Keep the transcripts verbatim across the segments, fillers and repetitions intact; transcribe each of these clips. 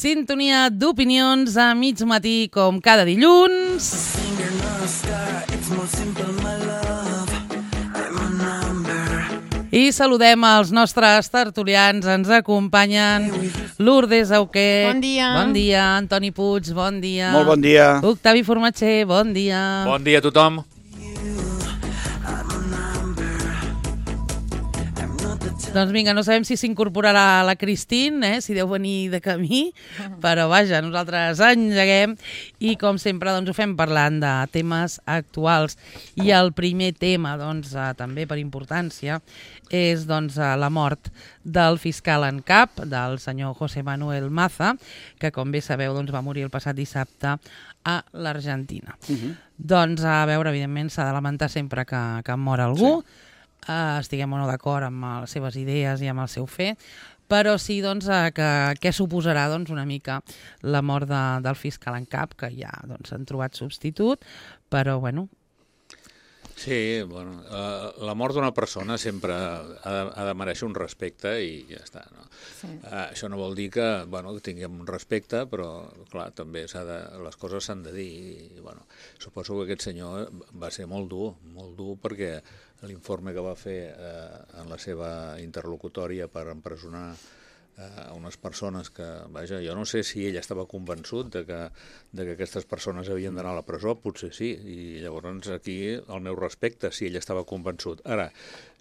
Sintonia d'opinions a mig matí, com cada dilluns. I saludem els nostres tertulians. Ens acompanyen Lourdes Auqué. Bon dia. Bon dia. Antoni Puig, bon dia. Molt bon dia. Octavi Formatxer, bon dia. Bon dia a tothom. Doncs vinga, no sabem si s'incorporarà la Cristín, eh, si deu venir de camí, però vaja, nosaltres engeguem i com sempre doncs, ho fem parlant de temes actuals. I el primer tema, doncs, eh, també per importància, és doncs, la mort del fiscal en cap, del senyor José Manuel Maza, que com bé sabeu doncs, va morir el passat dissabte a l'Argentina. Uh-huh. Doncs a veure, evidentment, s'ha de lamentar sempre que, que mor algú, sí. Uh, estiguem o no d'acord amb les seves idees i amb el seu fer, però sí doncs, uh, que què suposarà doncs, una mica la mort de, del fiscal en cap, que ja doncs, han trobat substitut, però bueno... Sí, bueno, uh, la mort d'una persona sempre ha de, ha de mereixer un respecte i ja està, no? Sí. Uh, això no vol dir que, bueno, que tinguem un respecte, però, clar, també s'ha de, les coses s'han de dir i, bueno, suposo que aquest senyor va ser molt dur, molt dur perquè l'informe que va fer eh, en la seva interlocutòria per empresonar eh, unes persones que, vaja, jo no sé si ell estava convençut de que, de que aquestes persones havien d'anar a la presó, potser sí, i llavors aquí el meu respecte, si ell estava convençut. Ara,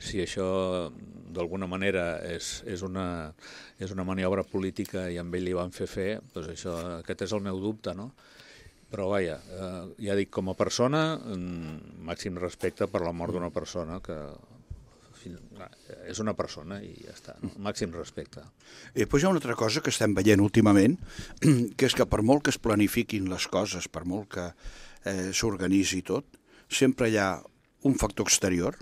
si això d'alguna manera és, és, una, és una maniobra política i amb ell li van fer fer, doncs això, aquest és el meu dubte, no? Però, vaja, eh, ja dic, com a persona, màxim respecte per la mort d'una persona, que és una persona i ja està, no? Màxim respecte. I després hi ha una altra cosa que estem veient últimament, que és que per molt que es planifiquin les coses, per molt que eh, s'organitzi tot, sempre hi ha un factor exterior.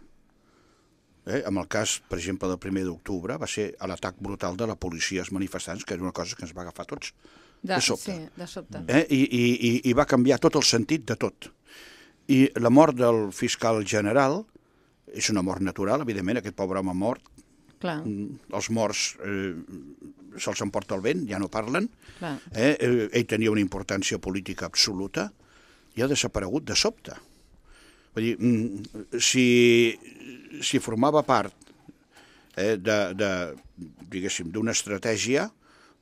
Eh? En el cas, per exemple, del primer d'octubre, va ser l'atac brutal de la policia als manifestants, que era una cosa que ens va agafar tots. De, de sobte. Sí, de sobte. Eh? I, i, I va canviar tot el sentit de tot. I la mort del fiscal general és una mort natural, evidentment, aquest pobre home mort. Clar. Els morts eh, se'ls emporta el vent, ja no parlen. Clar. Eh? Ell tenia una importància política absoluta i ha desaparegut de sobte. Vull dir, si, si formava part eh, de, de, diguéssim, d'una estratègia,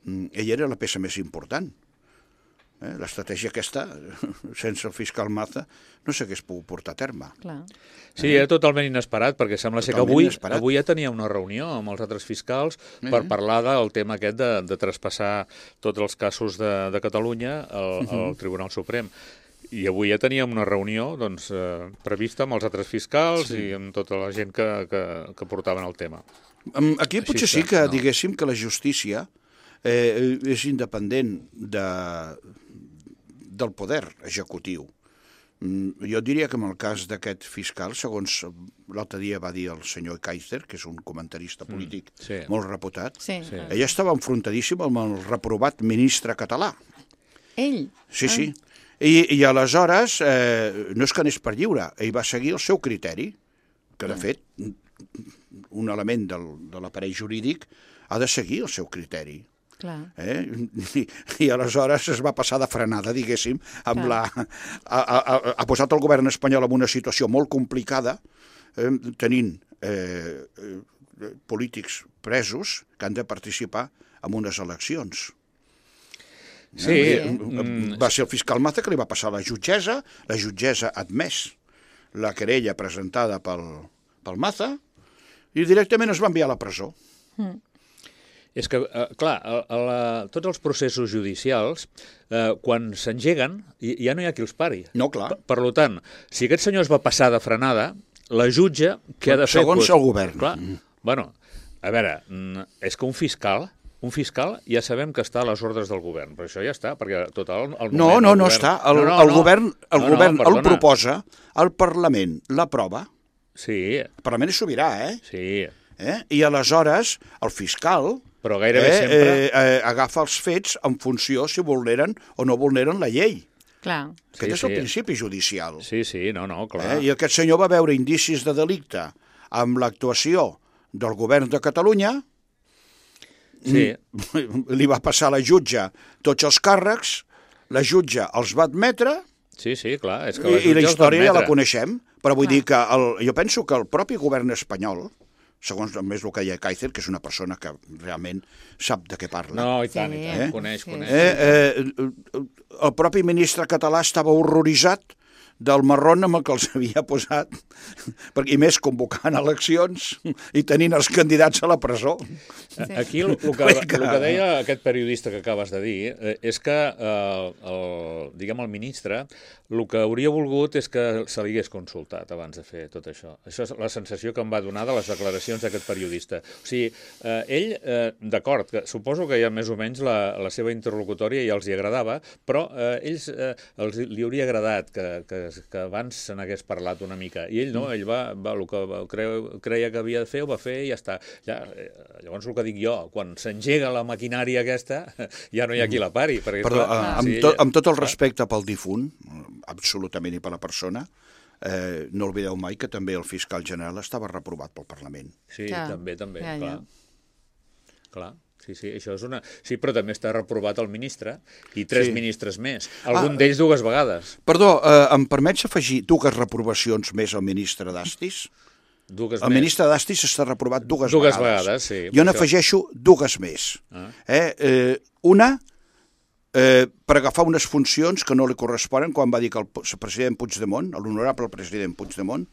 ell era la peça més important. Eh? L'estratègia aquesta, sense el fiscal Maza, no s'hagués pogut portar a terme. Clar. Sí, era totalment inesperat, perquè sembla ser que avui, avui ja tenia una reunió amb els altres fiscals uh-huh. per parlar del tema aquest de, de traspassar tots els casos de, de Catalunya al, uh-huh. al Tribunal Suprem. I avui ja teníem una reunió doncs, eh, prevista amb els altres fiscals sí. i amb tota la gent que, que, que portaven el tema. Aquí potser Així sí que no. diguéssim que la justícia Eh, és independent de, del poder executiu. Mm, jo diria que en el cas d'aquest fiscal, segons l'altre dia va dir el senyor Kaiser, que és un comentarista polític mm, sí. molt reputat, sí. Sí. ell estava enfrontadíssim amb el reprovat ministre català. Ell? Sí, ah. sí. I, i aleshores, eh, no és que anés per lliure, ell va seguir el seu criteri, que de fet, un element del, de l'aparell jurídic ha de seguir el seu criteri. Clar. Eh? I, I aleshores es va passar de frenada, diguéssim, amb la, ha, ha, ha posat el govern espanyol en una situació molt complicada, eh, tenint eh, eh, polítics presos que han de participar en unes eleccions. Sí. Eh? Va ser el fiscal Maza que li va passar a la jutgessa, la jutgessa ha admès la querella presentada pel, pel Maza i directament es va enviar a la presó. Mm. És que, eh, clar, a, a la, tots els processos judicials, eh, quan s'engeguen, ja no hi ha qui els pari. No, clar. Per, per tant, si aquest senyor es va passar de frenada, la jutge, què ha de fer? Segons pues, el govern. Clar, bueno, a veure, és que un fiscal, un fiscal ja sabem que està a les ordres del govern, però això ja està, perquè total... El no, no, no govern... està. El, no, no, el no. govern, el, no, govern no, el proposa, el Parlament l'aprova. Sí. El Parlament és sobirà, eh? Sí. Eh? I aleshores el fiscal... Però gairebé eh, sempre... Eh, eh, agafa els fets en funció si vulneren o no vulneren la llei. Clar. Aquest sí, és el sí. principi judicial. Sí, sí, no, no, clar. Eh? I aquest senyor va veure indicis de delicte amb l'actuació del govern de Catalunya Sí. li va passar a la jutge tots els càrrecs, la jutge els va admetre Sí, sí, clar. És que i, la i la jutge els va història ja la admetre. coneixem, però vull Clar. dir que el, jo penso que el propi govern espanyol, segons més el que deia Kaiser, que és una persona que realment sap de què parla, No, i tant, Sí, i tant. eh? Coneix, Sí. coneix. eh, eh, el propi ministre català estava horroritzat del marrón amb el que els havia posat, perquè, i més convocant eleccions i tenint els candidats a la presó. Sí. Aquí el, el, que, el que deia aquest periodista que acabes de dir eh, és que eh, el, diguem, el ministre el que hauria volgut és que se li hagués consultat abans de fer tot això. Això és la sensació que em va donar de les declaracions d'aquest periodista. O sigui, eh, ell, eh, d'acord, que suposo que ja més o menys la, la seva interlocutòria ja els hi agradava, però eh, ells eh, els, li hauria agradat que, que, que abans se n'hagués parlat una mica. I ell no, ell va, va el que va, creu, creia que havia de fer, ho va fer i ja està. Ja, eh, llavors el que dic jo, quan s'engega la maquinària aquesta, ja no hi ha qui la pari. Perquè, Perdó, clar, eh, amb, sí, to, amb tot el respecte pel difunt, absolutament, i per la persona, eh, no oblideu mai que també el fiscal general estava reprovat pel Parlament. Sí, Clar. també, també, Ja, clar. ja. Clar, sí, sí, això és una... Sí, però també està reprovat el ministre i tres Sí. ministres més. Algun Ah, d'ells dues vegades. Perdó, eh, em permets afegir dues reprovacions més al ministre d'Astis? Dues El més. ministre d'Astis està reprovat dues, Dues vegades. vegades, sí, Jo per n'afegeixo dues més. Ah. Eh, eh, una, eh, per agafar unes funcions que no li corresponen, quan va dir que el president Puigdemont, l'honorable president Puigdemont,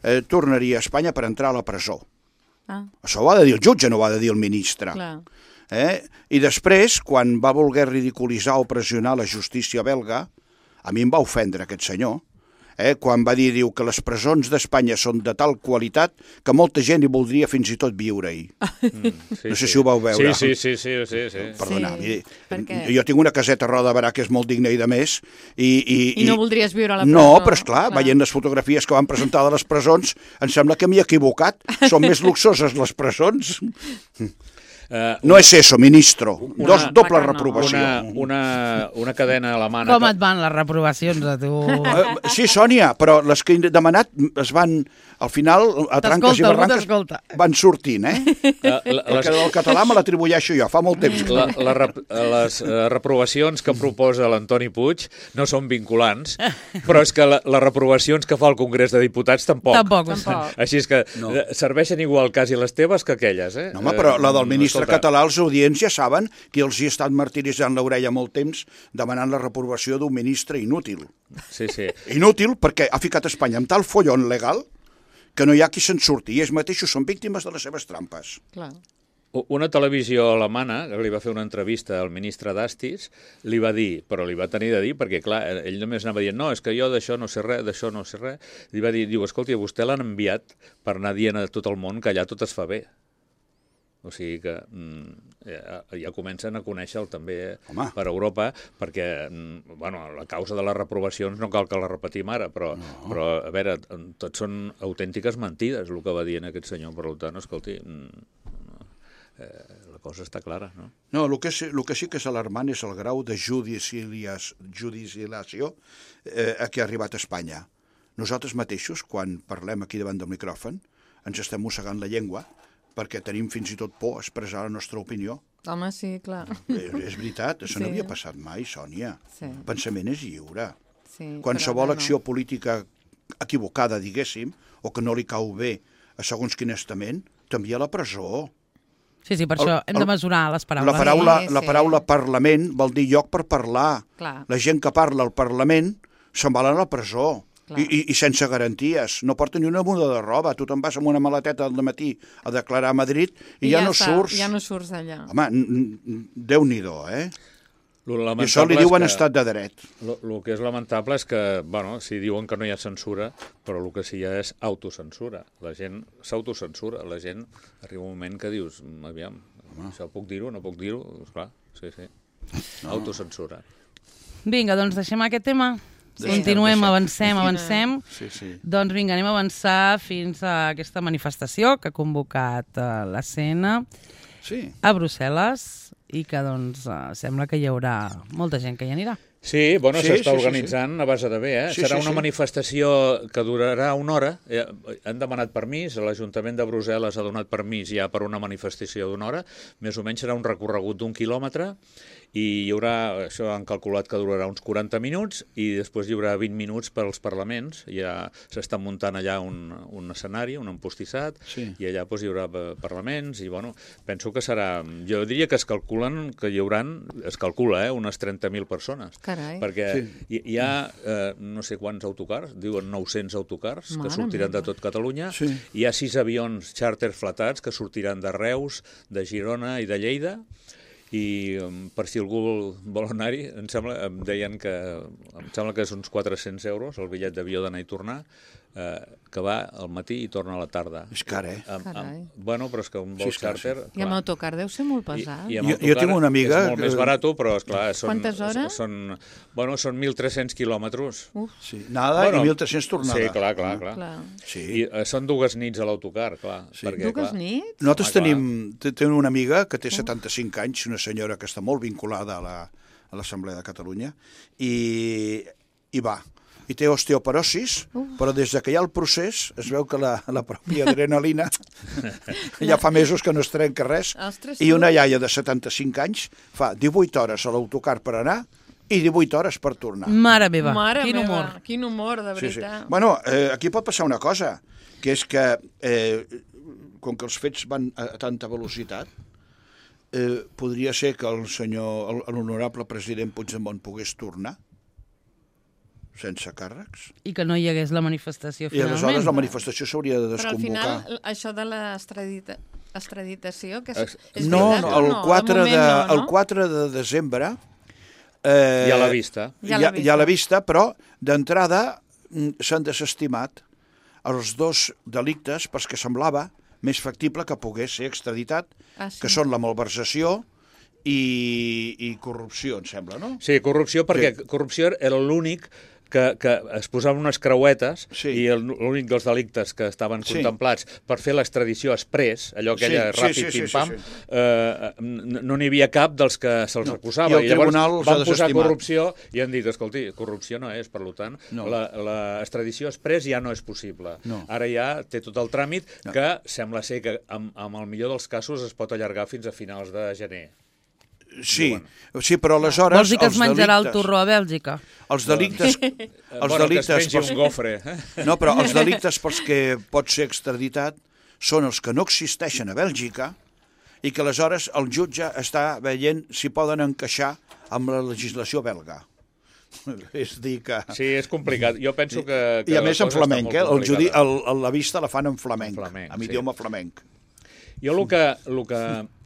eh, tornaria a Espanya per entrar a la presó. Ah, Això ho ha de dir el jutge, no ho ha de dir el ministre. clar. Eh? I després, quan va voler ridiculitzar o pressionar la justícia belga, a mi em va ofendre aquest senyor, eh? quan va dir diu, que les presons d'Espanya són de tal qualitat que molta gent hi voldria fins i tot viure-hi. Mm, sí, No sé si ho vau veure. Sí, sí, sí, sí, sí, sí. Perdona, Sí, sí, perquè- jo tinc una caseta a Roda de Barà que és molt digna i de més. I, i, I no voldries viure a la presó. No, però esclar, clar. veient les fotografies que van presentar de les presons, em sembla que m'hi he equivocat. Són més luxoses les presons. Uh, No és eso, ministro. Una- Dos, doble Clar que no. reprovació. una, una, una cadena alemana... Com que- et van les reprovacions a tu? Eh, Sí, Sònia, però les que he demanat es van, al final, a tranques i T'escolta, algú barranques, t'escolta. van sortint, eh? Eh, la- Perquè les, del català me l'atribueixo jo, fa molt temps. la, la, rep- les eh, reprovacions que proposa l'Antoni Puig no són vinculants, però és que la, les reprovacions que fa el Congrés de Diputats tampoc. Tampoc ho sé. Tampoc. Així és que No. no. serveixen igual quasi les teves que aquelles, eh? No, home, però la del Eh, ministre escolta, català, els audients ja saben que els hi ha estat martiritzant l'orella molt temps demanant la reprovació d'un ministre inútil. Sí, sí. Inútil perquè ha ficat Espanya amb tal follon legal que no hi ha qui se'n surti, i ells mateixos són víctimes de les seves trampes. Clar. U- Una televisió alemana, que li va fer una entrevista al ministre d'Astis, li va dir, però li va tenir de dir, perquè clar, ell només anava dient, no, és que jo d'això no sé res, d'això no sé res, li va dir, diu, escolti, a vostè l'han enviat per anar dient a tot el món que allà tot es fa bé. O sigui que mm, ja, ja comencen a conèixer-lo també Home. per Europa, perquè mm, bueno, la causa de les reprovacions no cal que la repetim ara, però, no. però a veure, tot són autèntiques mentides, el que va dir aquest senyor. Per tant, escolti, mm, no, eh, la cosa està clara, no? No, el que, sí, el que sí que és alarmant és el grau de judicialias, judicialització eh, a què ha arribat Espanya. Nosaltres mateixos, quan parlem aquí davant del micròfon, ens estem mossegant la llengua perquè tenim fins i tot por a expressar la nostra opinió. Home, sí, clar. Eh, és veritat, això Sí. no havia passat mai, Sònia. Sí. El pensament és lliure. Sí, Qualsevol però, acció política equivocada, diguéssim, o que no li cau bé a segons quin estament, t'envia a la presó. Sí, sí, per El- això hem de el- mesurar les paraules. La paraula, Sí, la sí. paraula Parlament vol dir lloc per parlar. Clar. La gent que parla al Parlament se'n va a la presó. Clar. I, i, I sense garanties. No porta ni una muda de roba. Tu te'n vas amb una maleteta al matí a declarar a Madrid i, I ja, no està, surts. Ja no surts d'allà. Home, n- n- Déu-n'hi-do, eh? Lo I lamentable això li és diuen que- estat de dret. El que és lamentable és que, bueno, si diuen que no hi ha censura, però el que sí hi ha és autocensura. La gent s'autocensura. La gent arriba un moment que dius, "Mm, aviam, això puc dir-ho, no puc dir-ho? Esclar, sí, sí. No. Autocensura. Vinga, doncs deixem aquest tema. Deixem, Continuem, deixem. avancem, avancem. Sí, sí. Doncs vinga, anem a avançar fins a aquesta manifestació que ha convocat uh, la C N Sí. a Brussel·les i que doncs uh, sembla que hi haurà molta gent que hi anirà. Sí, bueno, Sí, s'està sí, sí, organitzant a base de bé, eh? Sí, Serà sí, una sí. manifestació que durarà una hora. Eh, han demanat permís, l'Ajuntament de Brussel·les ha donat permís ja per una manifestació d'una hora. Més o menys serà un recorregut d'un quilòmetre i hi haurà, això han calculat que durarà uns quaranta minuts i després hi haurà vint minuts per als parlaments. Ja s'està muntant allà un, un escenari, un empostissat, Sí. i allà doncs, hi haurà parlaments i, bueno, penso que serà... Jo diria que es calculen que hi hauran, es calcula, eh, unes trenta mil persones. Carai. Perquè Sí. hi, hi ha eh, no sé quants autocars, diuen nou-cents autocars, que Mare sortiran meva. de tot Catalunya. Sí. Hi ha sis avions xàrter flatats que sortiran de Reus, de Girona i de Lleida. I um, per si algú vol anar-hi, em sembla, em deien que em sembla que és uns quatre-cents euros el bitllet d'avió d'anar i tornar, eh, que va al matí i torna a la tarda. És car, eh? Amb, Carai. amb, bueno, però és que un vol Sí, és clar, xàrter... I amb autocar deu ser molt pesat. I, i amb Jo- jo autocar tinc una amiga és molt que- més barat, però, esclar, són... Quantes hores? Són, bueno, són mil tres-cents quilòmetres. Uf, Sí. Nada Bueno, i mil tres-cents tornada. Sí, clar, clar, clar. clar. Sí. I eh, són dues nits a l'autocar, clar. Sí. Perquè, Dues clar, nits? Nosaltres Home, clar. tenim, te- tenim una amiga que té setanta-cinc anys, una senyora que està molt vinculada a la, a l'Assemblea de Catalunya, i, i va. I té osteoporosis, però des de que hi ha el procés es veu que la, la pròpia adrenalina ja fa mesos que no es trenca res. Ostres, I una tu. iaia de setanta-cinc anys fa divuit hores a l'autocar per anar i divuit hores per tornar. Mare meva, Mare quin meva, humor. quin humor, de Sí, sí. veritat. Bueno, eh, aquí pot passar una cosa, que és que, eh, com que els fets van a, a tanta velocitat, eh, podria ser que el senyor, el- l'honorable president Puigdemont pogués tornar sense càrrecs. I que no hi hagués la manifestació I finalment. aleshores la manifestació s'hauria de Però al desconvocar. final, això de l'extradita- extraditació, que és, Ex- és No, veritat no, o el no? quatre, moment de, no, no? el quatre de desembre... Eh, ja a la vista. Ja Ja, l'ha ja, vista. ja a la vista, però d'entrada mm, s'han desestimat els dos delictes pels que semblava més factible que pogués ser extraditat, Ah, sí? que són la malversació i, i corrupció, em sembla, no? Sí, corrupció, perquè sí. corrupció era l'únic que, que es posaven unes creuetes Sí. i el- l'únic dels delictes que estaven Sí. contemplats per fer l'extradició exprés, allò Sí, aquella sí, ràpid, sí, sí, pim-pam, sí, sí. eh, n- no n'hi havia cap dels que se'ls No. acusava. I el I llavors tribunal els ha van posar desestimat. corrupció i han dit, escolti, corrupció no és, per tant, No. la- l'extradició exprés ja no és possible. No. Ara ja té tot el tràmit No. que sembla ser que amb, amb el millor dels casos es pot allargar fins a finals de gener. Sí, sí, però aleshores... Vols dir que es els menjarà el delictes- torró a Bèlgica? Els delictes... Eh, els bueno, delictes que es pengi pels- un gofre. Eh? No, però els delictes pels que pot ser extraditat són els que no existeixen a Bèlgica i que aleshores el jutge està veient si poden encaixar amb la legislació belga. És dir que... Sí, és complicat. Jo penso que... que I a la més en cosa està flamenc, molt eh? El judi, complicada. el, el, la vista la fan en flamenc, En flamenc, amb sí. idioma flamenc. Jo el que, el que,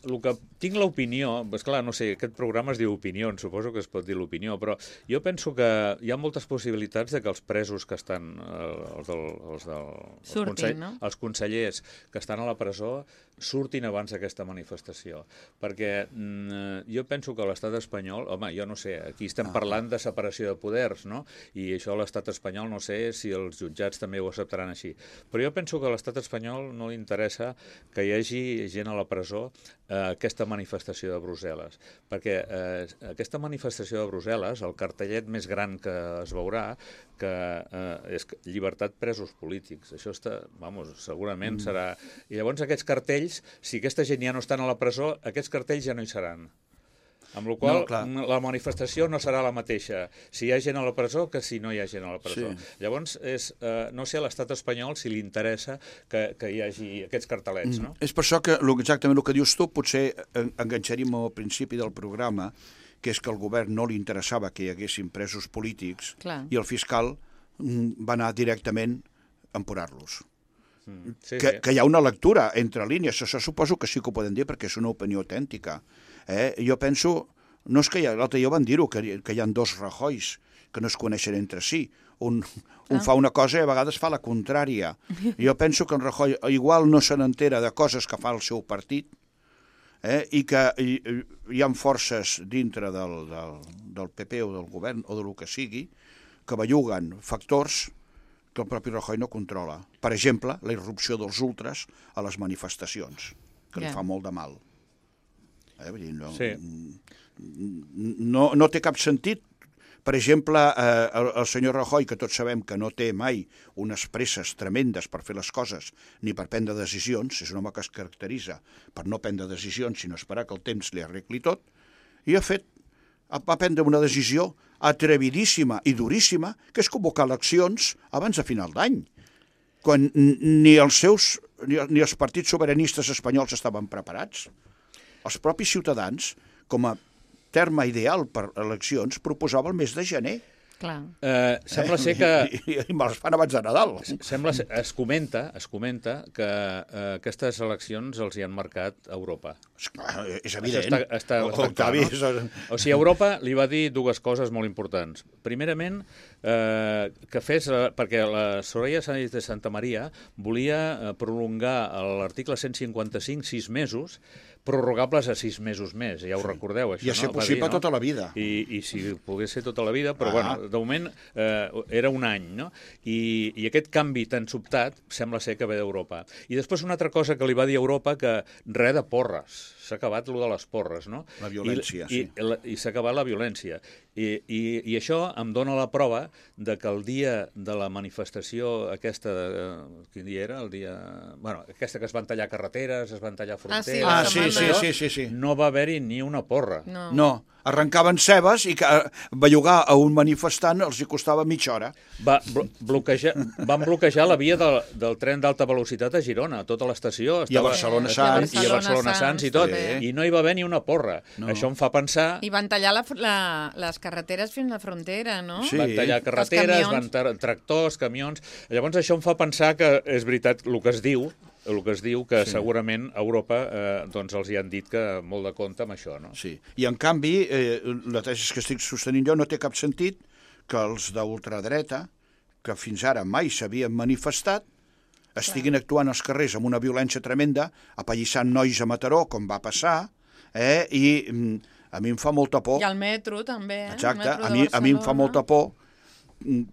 el que tinc l'opinió, és clar, no sé, aquest programa es diu opinions, suposo que es pot dir l'opinió, però jo penso que hi ha moltes possibilitats de que els presos que estan, eh, els, del, els, del, els, Surtin, consell, no? els consellers que estan a la presó surtin abans d'aquesta manifestació, perquè mm, jo penso que l'estat espanyol, home, jo no sé, aquí estem parlant de separació de poders, no? I això a l'estat espanyol no sé si els jutjats també ho acceptaran així, però jo penso que a l'estat espanyol no li interessa que hi hagi gent a la presó eh, aquesta manifestació de Brussel·les, perquè eh, aquesta manifestació de Brussel·les, el cartellet més gran que es veurà, que eh, és llibertat presos polítics. Això està, vamos, segurament mm. serà... I llavors aquests cartells, si aquesta gent ja no estan a la presó, aquests cartells ja no hi seran. Amb la qual No, clar. la manifestació no serà la mateixa si hi ha gent a la presó que si no hi ha gent a la presó. Sí. Llavors, és, eh, no sé a l'estat espanyol si li interessa que, que hi hagi aquests cartelets, no? És per això que lo- exactament el que dius tu potser en- enganxaríem al principi del programa, que és que al govern no li interessava que hi haguessin presos polítics Clar. i el fiscal mm, va anar directament a emporar-los. Mm. Sí, Que, sí. que hi ha una lectura entre línies, això suposo que sí que ho poden dir perquè és una opinió autèntica. Eh? Jo penso, no és que hi ha, l'altre dia van dir-ho, que, que hi ha dos Rajois que no es coneixen entre si. Un, un Ah. fa una cosa i a vegades fa la contrària. Jo penso que en Rajoy igual no se n'entera de coses que fa el seu partit, eh? I que hi, hi ha forces dintre del, del, del P P o del govern o del que sigui que belluguen factors que el propi Rajoy no controla. Per exemple, la irrupció dels ultras a les manifestacions, que li Ja. fa molt de mal. Eh? Vull dir, no, Sí. no, no té cap sentit per exemple, eh, el, el senyor Rajoy, que tots sabem que no té mai unes presses tremendes per fer les coses ni per prendre decisions, és un home que es caracteritza per no prendre decisions, sinó esperar que el temps li arregli tot, i ha fet, va prendre una decisió atrevidíssima i duríssima, que és convocar eleccions abans de final d'any, quan ni els seus ni, ni els partits sobiranistes espanyols estaven preparats. Els propis ciutadans, com a terme ideal per eleccions, proposava el mes de gener. Clar. Eh, sembla ser que... I, i, i me les fan abans de Nadal. Sembla ser, es comenta, es comenta que eh, aquestes eleccions els hi han marcat a Europa. Esclar, és evident. Està, està, el, està Octavi, clar, no? és... O sigui, Europa li va dir dues coses molt importants. Primerament, eh, que fes, eh, perquè la Soraya Sáenz de Santa Maria volia eh, prolongar l'article cent cinquanta-cinc sis mesos, prorrogables a sis mesos més, ja ho sí. recordeu, això, I a ser no? possible dir, no? tota la vida. I, i si pogués ser tota la vida, però ah. bueno, de moment eh, era un any, no? I, I aquest canvi tan sobtat sembla ser que ve d'Europa. I després una altra cosa que li va dir a Europa, que res de porres, s'ha acabat lo de les porres, no? La violència, I, sí. I, i, i s'ha acabat la violència. I, i, I això em dona la prova de que el dia de la manifestació aquesta, de, quin dia era? El dia... Bueno, aquesta que es van tallar carreteres, es van tallar fronteres... Ah, sí, sí, sí, sí, sí. No va haver-hi ni una porra. No. no. Arrencaven cebes i que bellugar a un manifestant els hi costava mitja hora. Va, blo bloquejar, van bloquejar la via del, del tren d'alta velocitat a Girona, tota l'estació. I a Barcelona Sants. I a Barcelona Sants i tot. Sí. I no hi va haver ni una porra. No. Això em fa pensar... I van tallar la, la, les carreteres fins a la frontera, no? Sí. Van tallar carreteres, van tra tractors, camions... Llavors això em fa pensar que és veritat el que es diu, el que es diu que sí. segurament a Europa eh, doncs els hi han dit que molt de compte amb això, no? Sí, i en canvi, eh, la tesi que estic sostenint jo no té cap sentit que els d'ultradreta, que fins ara mai s'havien manifestat, estiguin Clar. actuant als carrers amb una violència tremenda, apallissant nois a Mataró, com va passar, eh, i mm, a mi em fa molta por. I al metro també, eh? Exacte, a mi, a mi em fa molta por,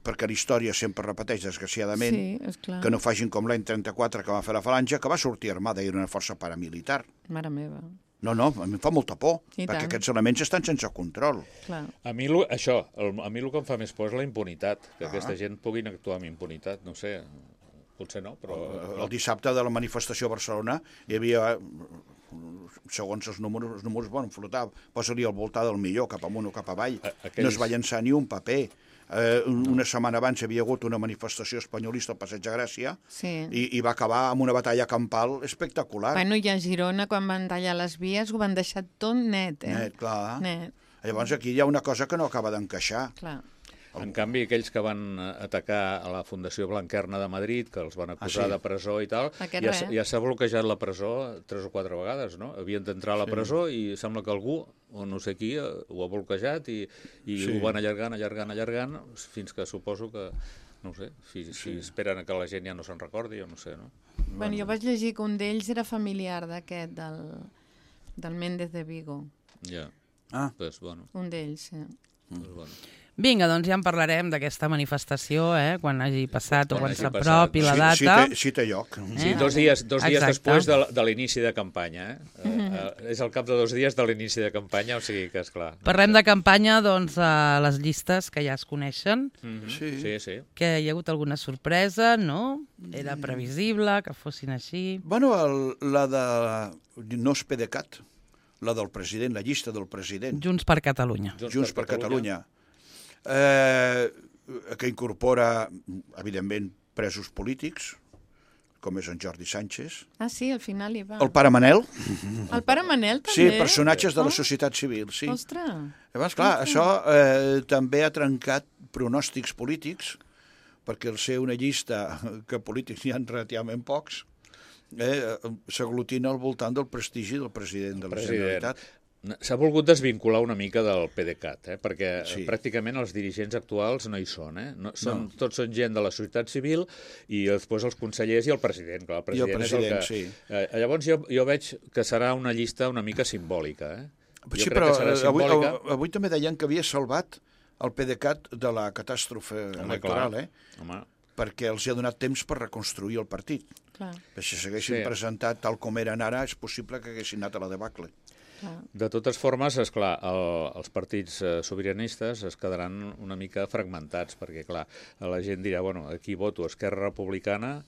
perquè la història sempre repeteix, desgraciadament, sí, que no facin com l'any trenta-quatre que va fer la Falange, que va sortir armada i era una força paramilitar. Mare meva. No, no, a mi em fa molta por, I perquè tant. aquests elements estan sense control. Clar. A mi, lo, això, el, a mi el que em fa més por és la impunitat, que Ah. aquesta gent puguin actuar amb impunitat, no sé, potser no, però... El, el dissabte de la manifestació a Barcelona hi havia, segons els números, els números bueno, flotava, posa-li al voltant del millor, cap amunt o cap avall, aquells... no es va llançar ni un paper. Eh, una setmana abans hi havia hagut una manifestació espanyolista al Passeig de Gràcia sí. i, i va acabar amb una batalla campal espectacular. Bueno, i a Girona, quan van tallar les vies, ho van deixar tot net, eh? Net, clar. Net. Llavors aquí hi ha una cosa que no acaba d'encaixar. Clar. En canvi, aquells que van atacar a la Fundació Blanquerna de Madrid, que els van acusar ah, sí? de presó i tal, Aquest ja, ja s'ha bloquejat la presó tres o quatre vegades, no? Havien d'entrar a la sí. presó i sembla que algú, o no sé qui, ho ha bloquejat i, i sí. ho van allargant, allargant, allargant, fins que suposo que, no ho sé, si, sí. si esperen que la gent ja no se'n recordi, o no sé, no? Bueno, bueno, jo vaig llegir que un d'ells era familiar d'aquest, del, del Méndez de Vigo. Ja, ah. pues bueno. Un d'ells, sí. Mm. Pues bueno. Vinga, doncs ja en parlarem d'aquesta manifestació, eh, quan hagi passat o quan quan s'apropi la data. Sí, sí, té, sí té lloc. Eh? Sí, dos dies, dos dies després de, de l'inici de campanya. Eh? Mm -hmm. eh, és al cap de dos dies de l'inici de campanya, o sigui que és clar. Parlem de campanya, doncs, a les llistes que ja es coneixen. Mm -hmm. sí. sí, sí. Que hi ha hagut alguna sorpresa, no? Era previsible que fossin així. Bueno, el, la de... no és PDeCAT, la del president, la llista del president. Junts per Catalunya. Junts, Junts per, per Catalunya. Catalunya. Eh, que incorpora, evidentment, presos polítics, com és en Jordi Sánchez. Ah, sí, al final hi va. El pare Manel. El pare Manel, també? Sí, personatges de la societat civil, sí. Ostres. Llavors, clar, Ostres. això eh, també ha trencat pronòstics polítics, perquè al ser una llista que polítics n'hi ha relativament pocs, eh, s'aglutina al voltant del prestigi del president de la Generalitat. S'ha volgut desvincular una mica del PDeCAT, eh? perquè sí. pràcticament els dirigents actuals no hi són. Eh? No, són no. Tots són gent de la societat civil i després els consellers i el president. Clar, el president, I el president, és el que... sí. Eh, llavors jo, jo veig que serà una llista una mica simbòlica. Eh? Sí, però avui, avui també deien que havia salvat el PDeCAT de la catàstrofe Home, electoral, clar. eh? Home. perquè els ha donat temps per reconstruir el partit. Clar. Si s'haguessin sí. presentat tal com eren ara, és possible que haguessin anat a la debacle. De totes formes, esclar, el, els partits eh, sobiranistes es quedaran una mica fragmentats, perquè, clar, la gent dirà, bueno, aquí voto Esquerra Republicana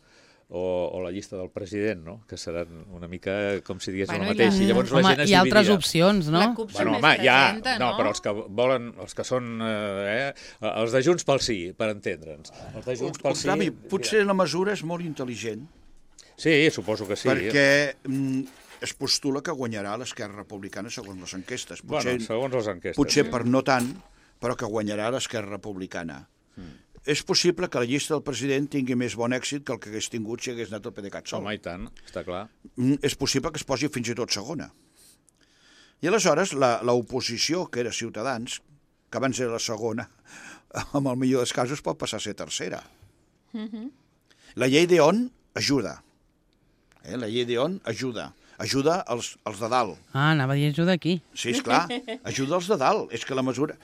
o, o la llista del president, no? Que seran una mica com si digués Bueno, el mateix. i la- I llavors la Home, gent es hi ha altres dividirà. opcions, no? La CUP Bueno, sempre home, es ja, presenta, no, no? però els que volen, els que són, eh, eh, els de Junts pel Sí, per entendre'ns. Els de Junts pel Sí... Octavi, potser la mesura és molt intel·ligent, Sí, suposo que sí. perquè mm, es postula que guanyarà l'Esquerra Republicana segons les enquestes. Potser, Bueno, segons les enquestes. potser sí. per no tant, però que guanyarà l'Esquerra Republicana. Mm. És possible que la llista del president tingui més bon èxit que el que hagués tingut si hagués anat el PDeCAT sol. Home, i tant, està clar. Mm, és possible que es posi fins i tot segona. I aleshores l'oposició, que era Ciutadans, que abans era la segona, amb el millor dels casos pot passar a ser tercera. Mhm. La llei d'Eon ajuda. Eh? La llei d'Eon ajuda. Ajuda els, els de dalt. Ah, anava a dir ajuda aquí. Sí, esclar, ajuda els de dalt. És que la mesura...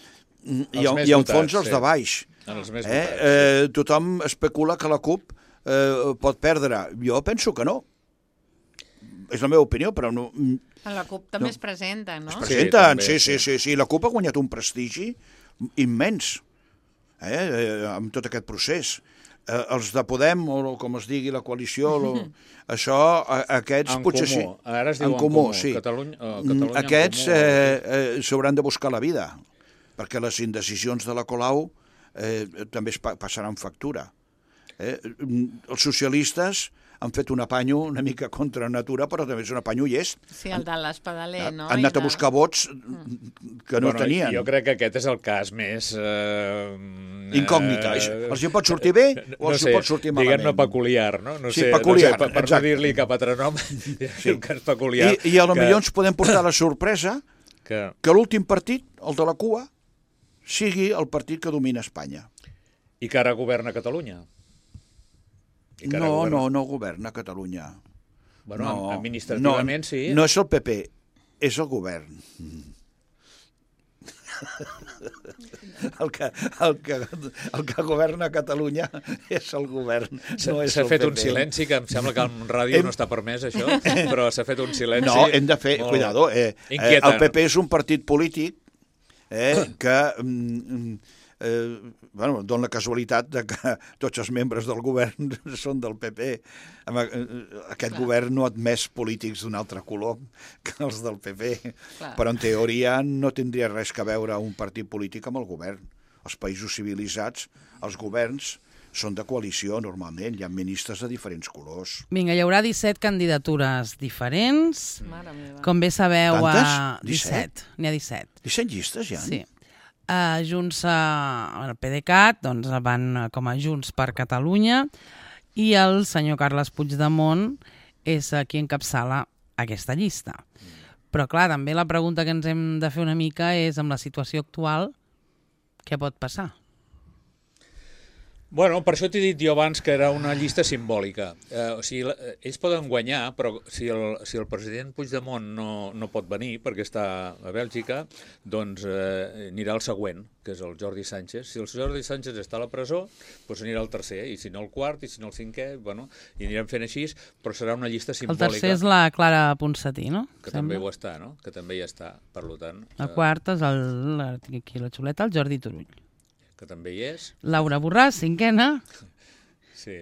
Mm, Els I, més i en votats, fons els sí. de baix. En els més Eh? votats, Eh, tothom especula que la CUP eh, pot perdre. Jo penso que no. És la meva opinió, però no... mm, A la CUP també No. es presenta, no? Es Sí, presenten, també, sí, sí, sí. sí, sí. La CUP ha guanyat un prestigi immens eh, eh, amb tot aquest procés. Eh, els de Podem, o com es digui, la coalició, lo, això, a, aquests En potser comú. sí. Ara es diu en comú, comú. sí. Catalunya- eh, Mm, Catalunya en aquests comú. eh, eh, s'hauran de buscar la vida, perquè les indecisions de la Colau eh, també es pa passaran factura. Eh? Els socialistes han fet un apanyo una mica contra natura, però també és un apanyo llest. Sí, el de l'Espadaler, no? Han I anat a de- buscar vots que no Bueno, tenien. Jo crec que aquest és el cas més... Eh, Incògnita. eh, Els hi pot sortir bé o els hi pot sortir malament. Diguem-ne peculiar, no? no Sí, sé, peculiar, no sé, per, per no exacte. dir-li cap altre nom, sí. un cas peculiar. I, I a lo que- millor ens podem portar la sorpresa Que, que l'últim partit, el de la cua, sigui el partit que domina Espanya. I que ara governa Catalunya. I que ara No, governa- no, no governa Catalunya. Bueno, no, administrativament no, sí. No és el P P, és el govern. El que, el, que, el que governa Catalunya és el govern, S'ha no és s'ha el fet P P. un silenci, que em sembla que en ràdio Hem- no està permès, això, però s'ha fet un silenci... No, hem de fer, molt cuidado, eh, eh, inquietant. el P P és un partit polític eh, que mm, eh, bueno, dona la casualitat de que tots els membres del govern són del P P. Home, eh, Aquest Clar. govern no ha admès polítics d'un altre color que els del P P, Clar. però en teoria no tindria res que veure un partit polític amb el govern. Els països civilitzats, els governs, són de coalició normalment, hi ha ministres de diferents colors. Vinga, hi haurà disset candidatures diferents. Mare meva. Com bé sabeu, Quantes? a disset? N'hi ha disset. disset llistes ja? Sí. Uh, Junts, uh, el PDeCAT, doncs van uh, com a Junts per Catalunya i el senyor Carles Puigdemont és uh, qui encapçala aquesta llista. Però clar, també la pregunta que ens hem de fer una mica és, amb la situació actual, què pot passar? Bueno, per això t'he dit jo abans que era una llista simbòlica. Eh, o sigui, la- eh, ells poden guanyar, però si el, si el president Puigdemont no, no pot venir perquè està a Bèlgica, doncs eh, anirà el següent, que és el Jordi Sánchez. Si el Jordi Sánchez està a la presó, doncs anirà el tercer, i si no el quart, i si no el cinquè, bueno, i anirem fent així, però serà una llista El simbòlica. tercer és la Clara Ponsatí, no? Que Sembla. també ho està, no? Que també hi està, per tant... El eh, quart és el, la, tinc aquí la xuleta, el Jordi Turull. que també hi és. Laura Borràs, cinquena. Sí.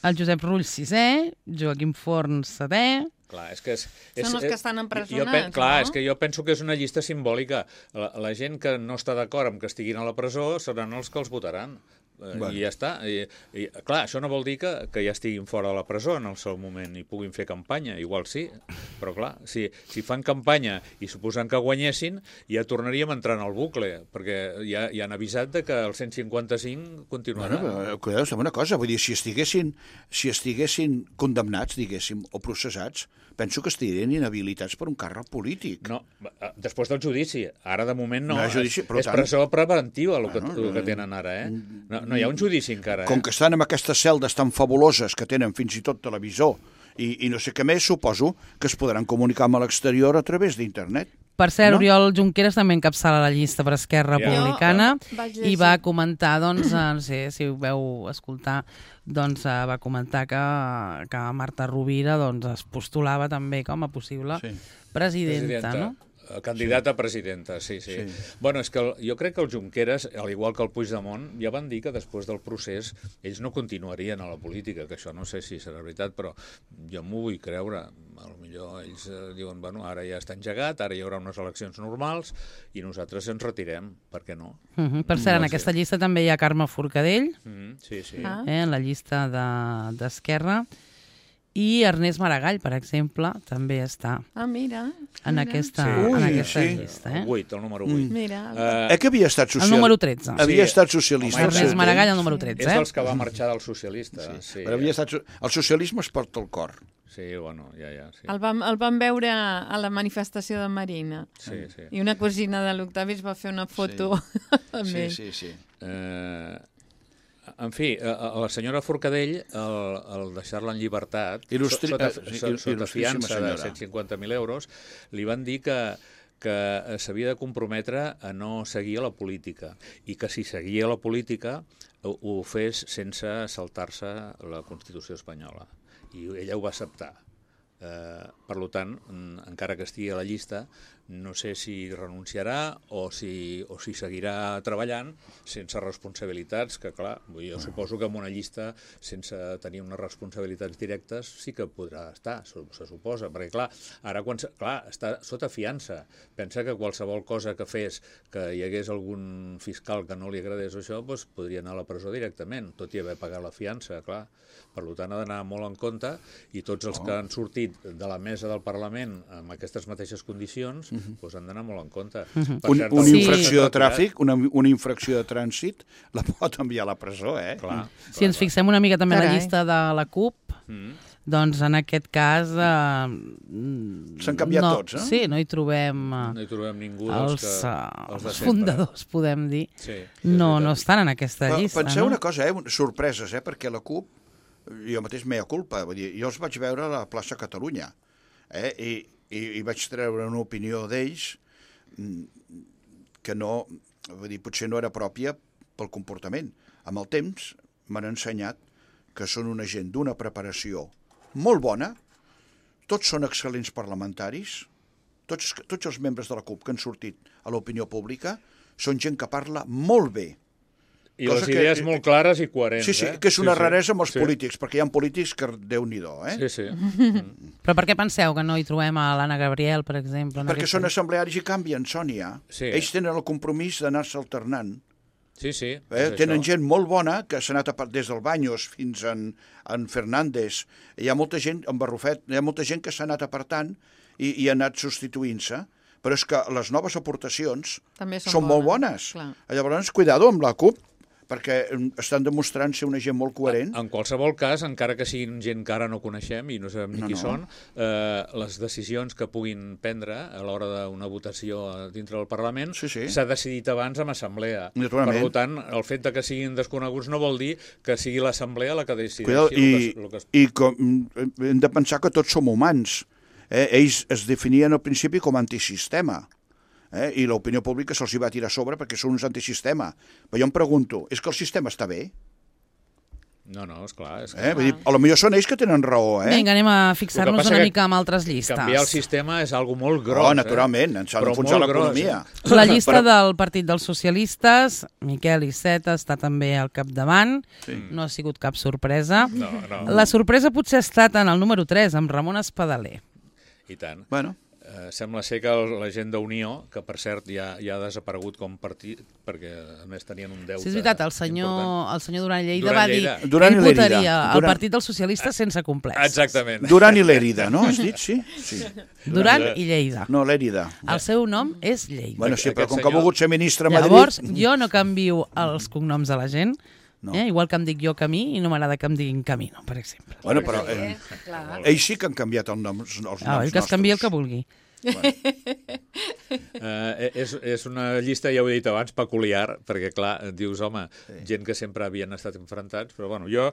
El Josep Rull, sisè. Joaquim Forn, setè. Clar, és que és, és, Són els que estan jo empresonats, pen, clar, no? és que jo penso que és una llista simbòlica. La, la gent que no està d'acord amb que estiguin a la presó seran els que els votaran. Eh, Bueno. I ja està. I, i, clar, això no vol dir que, que ja estiguin fora de la presó en el seu moment i puguin fer campanya, igual sí, però clar, si, si fan campanya i suposant que guanyessin, ja tornaríem a entrar en el bucle, perquè ja, ja han avisat de que el cent cinquanta-cinc continuarà. Bueno, però, cuidado, sembla una cosa, vull dir, si estiguessin, si estiguessin condemnats, diguéssim, o processats, penso que estarien inhabilitats per un càrrec polític. No, eh, després del judici. Ara, de moment, no. No hi ha judici, és, però és tant- presó preventiva el que, Bueno, el que tenen ara, eh? No, no hi ha un judici encara, eh? Com que estan amb aquestes celdes tan fabuloses que tenen fins i tot televisor i, i no sé què més, suposo que es podran comunicar amb l'exterior a través d'internet. Per cert, No? Oriol Junqueras també encapçala la llista per Esquerra Ja. Republicana Jo vaig i llegir. va comentar, doncs, eh, no sé si ho veu escoltar, doncs eh, va comentar que, que Marta Rovira doncs, es postulava també com a possible Sí. presidenta, no? Candidat a presidenta, sí, sí. sí. Bueno, és que el, jo crec que el Junqueras, al igual que el Puigdemont, ja van dir que després del procés ells no continuarien a la política, que això no sé si serà veritat, però jo m'ho vull creure. A lo millor ells eh, diuen, bueno, ara ja està engegat, ara hi haurà unes eleccions normals i nosaltres ens retirem, per què no? Uh -huh. Per cert, en aquesta llista també hi ha Carme Forcadell, Mm -hmm, sí, sí. Ah. eh, en la llista d'Esquerra, i Ernest Maragall, per exemple, també està Ah, mira. en mira. aquesta, Sí. en Ui, aquesta sí. llista. Eh? El vuit, el número vuit. Mira. Uh, Eh que havia estat El socialista? número tretze. Havia Sí. estat socialista. Home, al seu Ernest Maragall, el temps. número és tretze. dels Eh? que va marxar del socialista. Sí, sí. Però havia estat... so- El socialisme es porta al cor. Sí, bueno, ja, ja. Sí, El vam, el vam veure a la manifestació de Marina. sí. sí. I una cosina de l'Octavi es va fer una foto sí. amb Sí, ell. sí, sí. Eh, en fi, a, a la senyora Forcadell, el, el deixar-la en llibertat, Il·lustri- sota, eh, sí, sota, sota il·lustríssima fiança de senyora. cent cinquanta mil euros, li van dir que que s'havia de comprometre a no seguir a la política i que si seguia a la política ho, ho fes sense saltar-se la Constitució espanyola. I ella ho va acceptar. Eh, per tant, encara que estigui a la llista, no sé si renunciarà o si, o si seguirà treballant sense responsabilitats, que clar, jo suposo que en una llista sense tenir unes responsabilitats directes sí que podrà estar, se suposa, perquè clar, ara quan, clar, està sota fiança, pensa que qualsevol cosa que fes, que hi hagués algun fiscal que no li agradés això, doncs podria anar a la presó directament, tot i haver pagat la fiança, clar. Per tant, ha d'anar molt en compte i tots els que han sortit de la mesa del Parlament amb aquestes mateixes condicions uh-huh. doncs han d'anar molt en compte. Uh-huh. Un, cert, una sí. infracció de tràfic, una, una infracció de trànsit, la pot enviar a la presó, eh? Clar, Si clar, ens fixem una mica també en la Carai. llista de la CUP, Mm. doncs en aquest cas... Eh, S'han canviat no, tots, eh? Sí, no hi trobem eh, no hi trobem ningú els, dels que... eh, els de els sempre. fundadors, podem dir. Sí, és No, veritat. no estan en aquesta Però llista. penseu no? una cosa, eh? Sorpreses, eh? Perquè la CUP, jo mateix mea culpa, vull dir, jo els vaig veure a la plaça Catalunya, eh? I, i, i vaig treure una opinió d'ells que no, vull dir, potser no era pròpia pel comportament. Amb el temps m'han ensenyat que són una gent d'una preparació molt bona, tots són excel·lents parlamentaris, tots, tots els membres de la CUP que han sortit a l'opinió pública són gent que parla molt bé. I Cosa les que- idees molt clares i coherents, Sí, sí, eh? que és una sí, sí. raresa amb els sí. polítics, perquè hi ha polítics que Déu-n'hi-do, eh? Sí, sí. Però per què penseu que no hi trobem a l'Anna Gabriel, per exemple? en Perquè aquesta són llista? assemblearis i canvien, Sònia. Sí. Ells tenen el compromís d'anar-se alternant. Sí, sí. Eh? és Tenen això. gent molt bona que s'ha anat a, par- des del Baños fins en, en Fernández. Hi ha molta gent, en Barrufet, hi ha molta gent que s'ha anat apartant i, i ha anat substituint-se, però és que les noves aportacions També són són molt bones, bones. clar. Llavors, cuidado amb la CUP, perquè estan demostrant ser una gent molt coherent. En qualsevol cas, encara que siguin gent que ara no coneixem i no sabem ni No, qui no. són, eh, les decisions que puguin prendre a l'hora d'una votació dintre del Parlament Sí, sí. s'ha decidit abans amb assemblea. Naturalment. Per tant, el fet de que siguin desconeguts no vol dir que sigui l'assemblea la que decideixi Cuidado, el i, que, el que es... i com, hem de pensar que tots som humans. Eh? Ells es definien al principi com a antisistema. Eh? I l'opinió pública se'ls hi va tirar a sobre perquè són uns antisistema. Però jo em pregunto, és que el sistema està bé? No, no, esclar. És que... Eh? Vull dir, a lo millor són ells que tenen raó, eh? Vinga, anem a El que fixar-nos passa una que mica amb altres llistes. Canviar el sistema és algo molt gros. Oh, naturalment, ens ha Però d'enfonsar molt gros, l'economia. eh? La llista Però- del Partit dels Socialistes, Miquel Iceta està també al capdavant, Sí. no ha sigut cap sorpresa. No, no. La sorpresa potser ha estat en el número tres, amb Ramon Espadaler. I tant. Bueno, Eh, sembla ser que el, la gent d'Unió, que per cert ja, ja ha desaparegut com partit, perquè a més tenien un deute Sí, és veritat, el senyor, important. el senyor Duran Lleida Duran va dir Lleida. Duran que i ell votaria Lérida. el Duran- Partit dels Socialistes sense complexos. Exactament. Duran i Lérida, no? Has dit, sí? Sí. Duran i Lleida. No, Lérida. El seu nom és Lleida. Bueno, sí, però Aquest com que ha senyor- volgut ser ministre a Madrid... Llavors, jo no canvio els cognoms de la gent, No. eh? igual que em dic jo Camí i no m'agrada que em diguin Camino, per exemple. Bueno, però eh, Clar. ells sí que han canviat el nom, els noms Ah, ell que es canvia el que nostres. vulgui. Eh, és, és una llista, ja ho he dit abans, peculiar, perquè, clar, dius, home, sí. gent que sempre havien estat enfrontats, però, bueno, jo,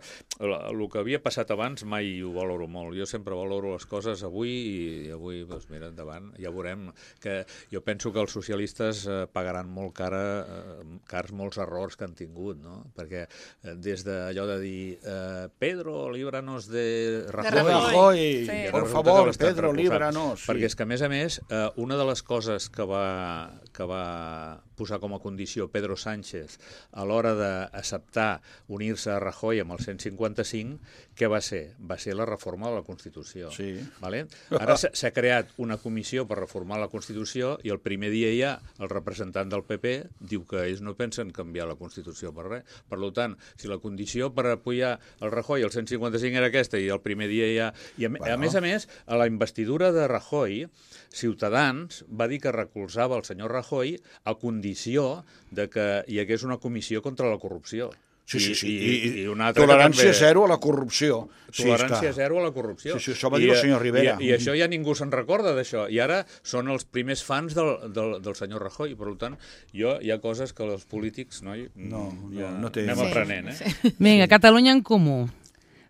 el, el que havia passat abans mai ho valoro molt. Jo sempre valoro les coses avui i avui, doncs, mira, endavant, ja veurem que jo penso que els socialistes eh, pagaran molt cara, eh, cars molts errors que han tingut, no? Perquè eh, des d'allò de dir eh, Pedro, líbranos de Rajoy, Rajoy. Rajoy, Sí. por resulta favor, que l'estan Pedro, recolzant. líbranos. Perquè és que, a més a més, més, eh, una de les coses que va, que va posar com a condició Pedro Sánchez a l'hora d'acceptar unir-se a Rajoy amb el cent cinquanta-cinc, què va ser? Va ser la reforma de la Constitució. Sí. Vale? Ara s'ha creat una comissió per reformar la Constitució i el primer dia ja el representant del P P diu que ells no pensen canviar la Constitució per res. Per tant, si la condició per apoyar el Rajoy el cent cinquanta-cinc era aquesta i el primer dia ja... I a, bueno. a més a més, a la investidura de Rajoy, Ciutadans va dir que recolzava el senyor Rajoy a condició de que hi hagués una comissió contra la corrupció. Sí, sí, sí. I, I, i, i una altra tolerància també... zero a la corrupció. Tolerància sí, zero a la corrupció. Sí, sí, això va dir I, el senyor Rivera. I, i això ja ningú se'n recorda d'això. I ara són els primers fans del, del, del senyor Rajoy. Per tant, jo, hi ha coses que els polítics, noi, no, ja no, no té... anem sí, aprenent. Eh? Sí. Vinga, Catalunya en Comú.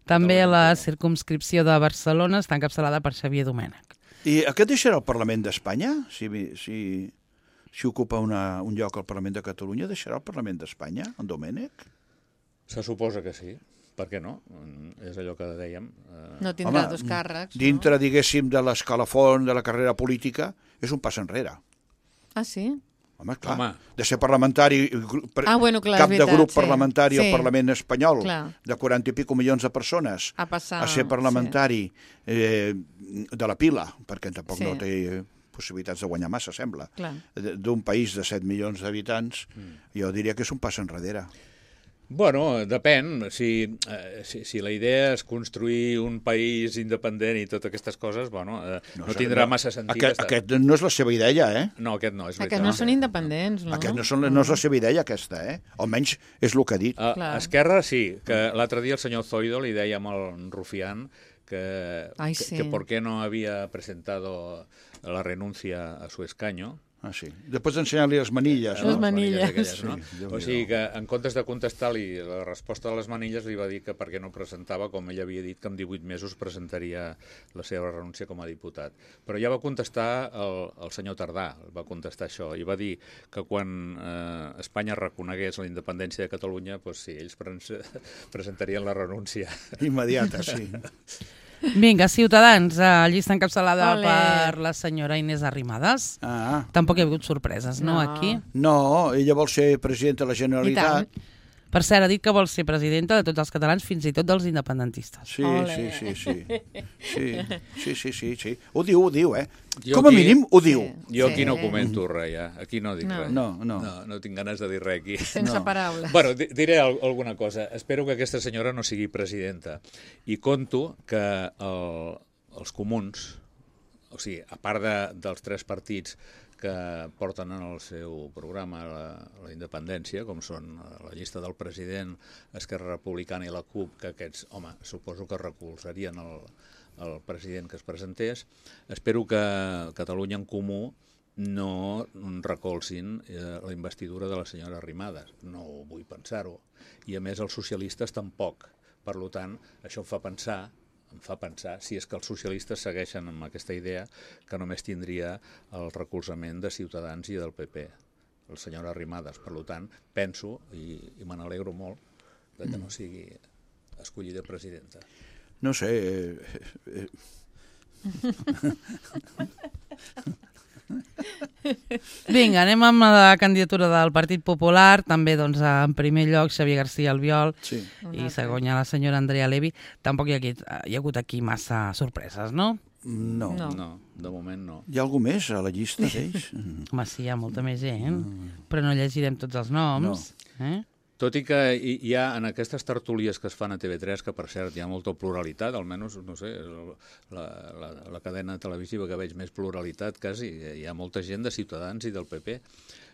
També la circumscripció de Barcelona està encapçalada per Xavier Domènech. I aquest deixarà el Parlament d'Espanya? Si, si, si ocupa una, un lloc al Parlament de Catalunya, deixarà el Parlament d'Espanya, en Domènech? Se suposa que sí. Per què no? És allò que dèiem. Eh... No tindrà Home, dos càrrecs, dintre, no? diguéssim, de l'escalafon de la carrera política, és un pas enrere. Ah, sí? Home, clar, Home. de ser parlamentari, Ah, bueno, clar, cap és de veritat, grup sí. parlamentari Sí. al Parlament espanyol, Clar. de quaranta i pico milions de persones, A passar, a ser parlamentari eh, de la pila, perquè tampoc Sí. no té possibilitats de guanyar massa, sembla, Clar. d'un país de set milions d'habitants, Mm. jo diria que és un pas enrere. Bueno, depèn. Si, eh, si, si la idea és construir un país independent i totes aquestes coses, bueno, eh, no, no tindrà massa sentit. Aquest, estar... aquest no és la seva idea, eh? No, aquest no, és veritat. Aquests no són independents, no? Aquest no, són, no és la seva idea, aquesta, eh? Almenys és el que ha dit. A, Clar. a Esquerra sí, que l'altre dia el senyor Zoido li deia amb el Rufián que, Ai, que, sí. que por qué no había presentado la renuncia a su escaño. Ah, sí. Després d'ensenyar-li les manilles, Les no? manilles. aquelles, no? Sí, O sigui que en comptes de contestar-li la resposta de les manilles li va dir que perquè no presentava, com ell havia dit, que en divuit mesos presentaria la seva renúncia com a diputat. Però ja va contestar el, el senyor Tardà, va contestar això, i va dir que quan eh, Espanya reconegués la independència de Catalunya, doncs sí, ells pre presentarien la renúncia. Immediata, sí. Vinga, Ciutadans, eh, llista encapçalada Olé. per la senyora Inés Arrimadas. Ah, Tampoc hi ha hagut sorpreses, no, No. aquí? no, ella vol ser presidenta de la I Generalitat. tant. Per cert, ha dit que vol ser presidenta de tots els catalans, fins i tot dels independentistes. Sí, Ole. sí, sí, sí. Sí, sí, sí, sí, sí. Ho diu, ho diu, eh? Jo Com a aquí- mínim ho diu. Jo Sí. aquí no comento res, ja. Aquí no dic No. res. No, no. No, no tinc ganes de dir res aquí. Sense No. paraules. Bueno, di- diré al alguna cosa. Espero que aquesta senyora no sigui presidenta. I conto que el, els comuns, o sigui, a part de, dels tres partits que porten en el seu programa la, la independència, com són la llista del president, Esquerra Republicana i la CUP, que aquests, home, suposo que recolzarien el, el president que es presentés. Espero que Catalunya en Comú no recolzin eh, la investidura de la senyora Arrimadas. No vull pensar-ho. I a més els socialistes tampoc. Per tant, això em fa pensar em fa pensar, si és que els socialistes segueixen amb aquesta idea, que només tindria el recolzament de Ciutadans i del P P, el senyor Arrimadas. Per tant, penso, i, i me n'alegro molt, de que no sigui escollida presidenta. No sé... Eh, eh, Vinga, anem amb la candidatura del Partit Popular, també doncs, en primer lloc Xavier García Albiol sí. i segon hi ha la senyora Andrea Levy. Tampoc hi ha, aquí, hi ha hagut aquí massa sorpreses, no? No. No. No, de moment no. Hi ha algú més a la llista d'ells? Home, sí, hi ha molta més gent, però no llegirem tots els noms. Eh? Tot i que hi hi ha en aquestes tertúlies que es fan a T V tres, que per cert hi ha molta pluralitat, almenys, no sé, la, la, la cadena televisiva que veig més pluralitat quasi, hi ha molta gent de Ciutadans i del P P.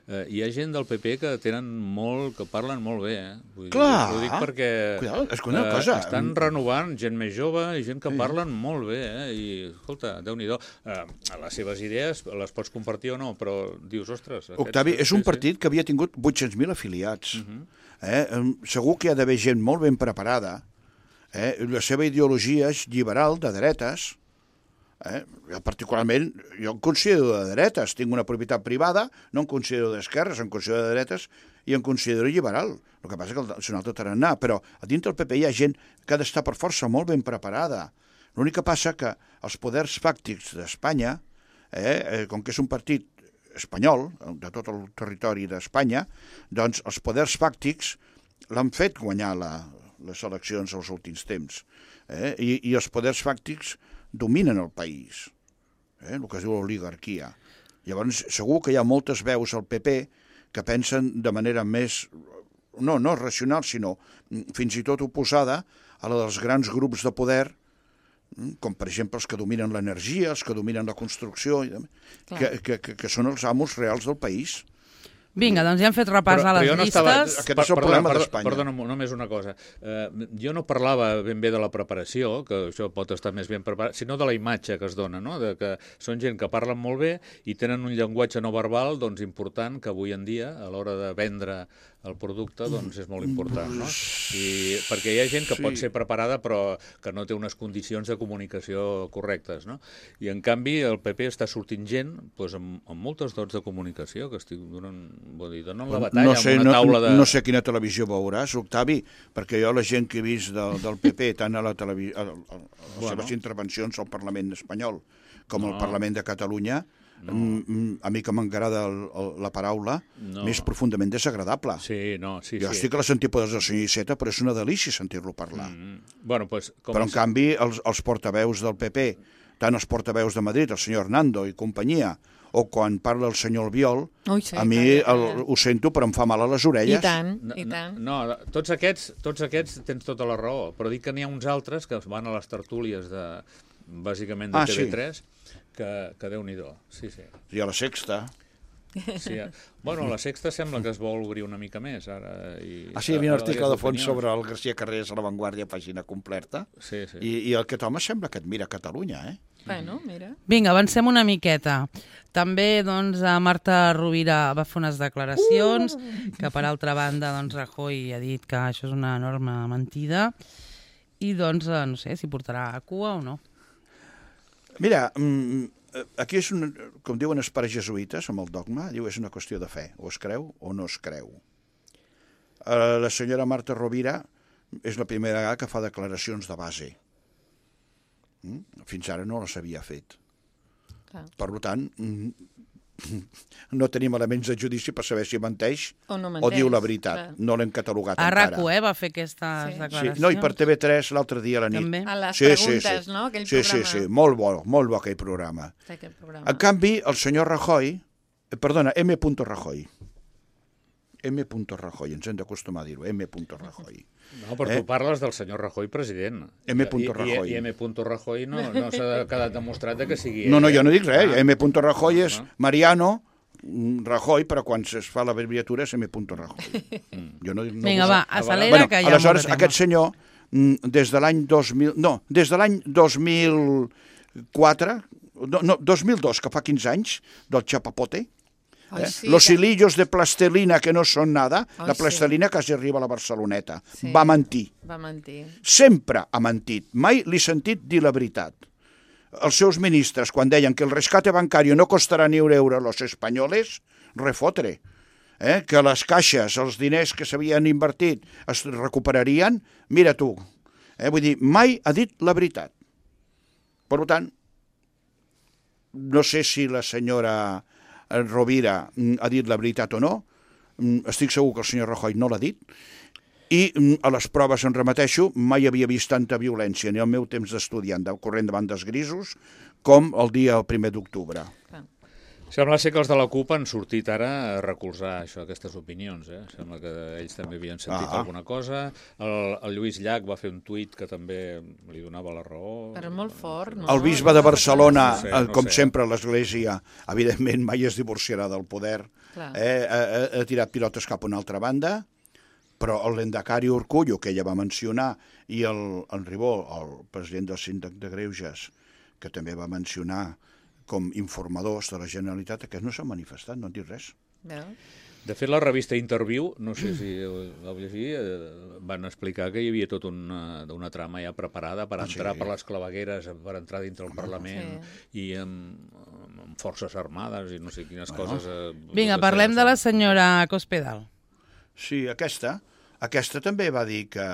Eh, hi ha gent del P P que tenen molt, que parlen molt bé, eh? Vull Clar. dir, ho dic perquè Cuidado, és que una cosa- estan renovant gent més jove i gent que parlen molt bé, eh? I, escolta, Déu-n'hi-do, eh, les seves idees les pots compartir o no, però dius, ostres... Aquests, Octavi, és un partit que havia tingut vuit-cents mil afiliats. eh? Segur que hi ha d'haver gent molt ben preparada. Eh? La seva ideologia és liberal, de dretes. Eh? Jo particularment, jo em considero de dretes, tinc una propietat privada, no em considero d'esquerres, em considero de dretes i em considero liberal. El que passa és que és un altre tarannà, però a dintre del P P hi ha gent que ha d'estar per força molt ben preparada. L'únic que passa que els poders fàctics d'Espanya eh, com que és un partit espanyol, de tot el territori d'Espanya, doncs els poders fàctics l'han fet guanyar la, les eleccions als últims temps. Eh? I, I els poders fàctics dominen el país, eh? el que es diu l'oligarquia. Llavors, segur que hi ha moltes veus al P P que pensen de manera més, no, no racional, sinó fins i tot oposada a la dels grans grups de poder, com per exemple els que dominen l'energia, els que dominen la construcció, que, que, que, que són els amos reals del país. Vinga, doncs ja hem fet repàs però, a les però no llistes. Estava... Aquest és el problema d'Espanya. Perdona, només una cosa. Uh, jo no parlava ben bé de la preparació, que això pot estar més ben preparat, sinó de la imatge que es dona, no? De que són gent que parlen molt bé i tenen un llenguatge no verbal doncs, important, que avui en dia, a l'hora de vendre el producte, doncs és molt important, no? I, perquè hi ha gent que sí. pot ser preparada però que no té unes condicions de comunicació correctes, no? I en canvi el P P està sortint gent doncs, amb, amb moltes dots de comunicació que estic donant, vull dir, donen la batalla no sé, amb una taula de... No, no sé quina televisió veuràs, Octavi, perquè jo la gent que he vist del, del P P, tant a, la televi... a, a, a les bueno. seves intervencions al Parlament espanyol com no. al Parlament de Catalunya, no. a mi que m'agrada la paraula, no. més profundament desagradable. Sí, no, sí, jo sí. estic a les antípodes del senyor Iceta, però és una delícia sentir-lo parlar. Mm. Bueno, pues, com però, en és... canvi, els, els portaveus del P P, tant els portaveus de Madrid, el senyor Hernando i companyia, o quan parla el senyor Albiol, Ui, sí, a mi el, ho sento, però em fa mal a les orelles. I tant, no, i tant. No, no, tots aquests, tots aquests tens tota la raó, però dic que n'hi ha uns altres que van a les tertúlies de, bàsicament de ah, T V tres, sí. que, que Déu-n'hi-do. Sí, sí. I a la Sexta. Sí, bueno, la Sexta sembla que es vol obrir una mica més ara. I ah, sí, hi havia un article de fons sobre el García Carrés a La Vanguardia, pàgina completa, sí, sí. I, i aquest home sembla que et mira Catalunya, eh? Bueno, mira. Vinga, avancem una miqueta. També, doncs, a Marta Rovira va fer unes declaracions uh! que, per altra banda, doncs, Rajoy ha dit que això és una enorme mentida i, doncs, no sé si portarà a cua o no. Mira, aquí és, un, com diuen els pares jesuïtes, amb el dogma, diu és una qüestió de fe, o es creu o no es creu. La senyora Marta Rovira és la primera vegada que fa declaracions de base. Fins ara no les havia fet. Clar. Per tant, no tenim elements de judici per saber si menteix o, no menteix, o diu la veritat. Clar. No l'hem catalogat a encara. A RAC u, eh, va fer aquestes sí. declaracions. Sí. No, i per T V tres l'altre dia a la nit. També. A les sí, preguntes, sí, sí. no? Aquell sí, programa. Sí, sí, molt bo, molt bo aquell programa. Aquell programa. En canvi, el senyor Rajoy, eh, perdona, M. Rajoy, M. Rajoy, ens hem d'acostumar a dir-ho, M. Rajoy. No, però eh? tu parles del senyor Rajoy president. M. I, Rajoy. I, i M. Rajoy no, no s'ha quedat demostrat que sigui... No, no, jo no dic res. Ah. M. Rajoy és Mariano Rajoy, però quan es fa l'abreviatura és M. Rajoy. Mm. Jo no, no Vinga, va, acelera, bueno, que hi ha aleshores, molt de tema. Aquest senyor, des de l'any dos mil... No, des de l'any dos mil quatre, no, no, dos mil dos, que fa quinze anys, del Chapapote, Ai, eh? sí, Los que... hilillos de plastelina que no són nada, Ai, la plastelina sí. quasi arriba a la Barceloneta. Sí. Va mentir. Va mentir. Sempre ha mentit. Mai li he sentit dir la veritat. Els seus ministres, quan deien que el rescate bancario no costarà ni un euro a los espanyoles, refotre. Eh? Que les caixes, els diners que s'havien invertit es recuperarien, mira tu. Eh? Vull dir, mai ha dit la veritat. Per tant, no sé si la senyora Rovira ha dit la veritat o no, estic segur que el senyor Rajoy no l'ha dit, i a les proves em remeteixo, mai havia vist tanta violència ni el meu temps d'estudiant corrent davant dels grisos com el dia primer d'octubre. Sembla ser que els de la CUP han sortit ara a recolzar això, aquestes opinions. Eh? Sembla que ells també havien sentit ah. alguna cosa. El, el Lluís Llach va fer un tuit que també li donava la raó. Però molt fort, no? El bisbe de Barcelona, no sé, no com sé. sempre, l'Església, evidentment mai es divorciarà del poder. Eh, ha, ha tirat pilotes cap a una altra banda, però el Lendakari Urkullu, que ella va mencionar, i el, el Ribó, el president del Síndic de Greuges, que també va mencionar com informadors de la Generalitat, aquests no s'han manifestat, no han dit res. De fet, la revista Interview, no sé si vau llegir, van explicar que hi havia tota una, una trama ja preparada per ah, entrar sí. per les clavegueres, per entrar dintre el Parlament sí. i amb, amb forces armades i no sé quines bueno. coses... Eh, Vinga, parlem de la senyora Cospedal. Sí, aquesta, aquesta també va dir que,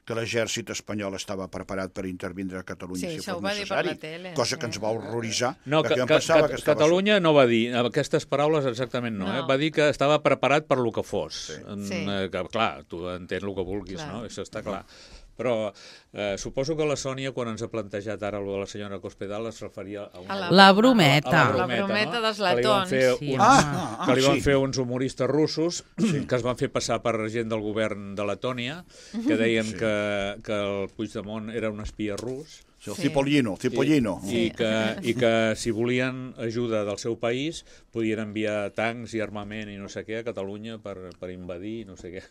que l'exèrcit espanyol estava preparat per intervindre a Catalunya Sí, si això fos ho va dir per necessari, la tele, cosa sí. que ens va horroritzar, No, perquè que, jo em que, pensava que, que estava... Catalunya no va dir aquestes paraules exactament, no, No. Eh? Va dir que estava preparat per lo que fos. Sí. En, Sí. eh, que, clar, tu entens el que vulguis, Clar. no? Això està clar. Però eh, suposo que la Sònia, quan ens ha plantejat ara el de la senyora Cospedal, es referia a una... A La brometa. A la La brometa, brometa no? dels Que li van latons. fer Sí, uns, Ah, home. ah, que li van sí. fer uns humoristes russos que es van fer passar per gent del govern de Letònia, que deien Sí. que, que el Puigdemont era un espia rus, Sí, el Sí. Cipollino, Cipollino. i, i, que, i que si volien ajuda del seu país podien enviar tancs i armament i no sé què a Catalunya per, per invadir i no sé què.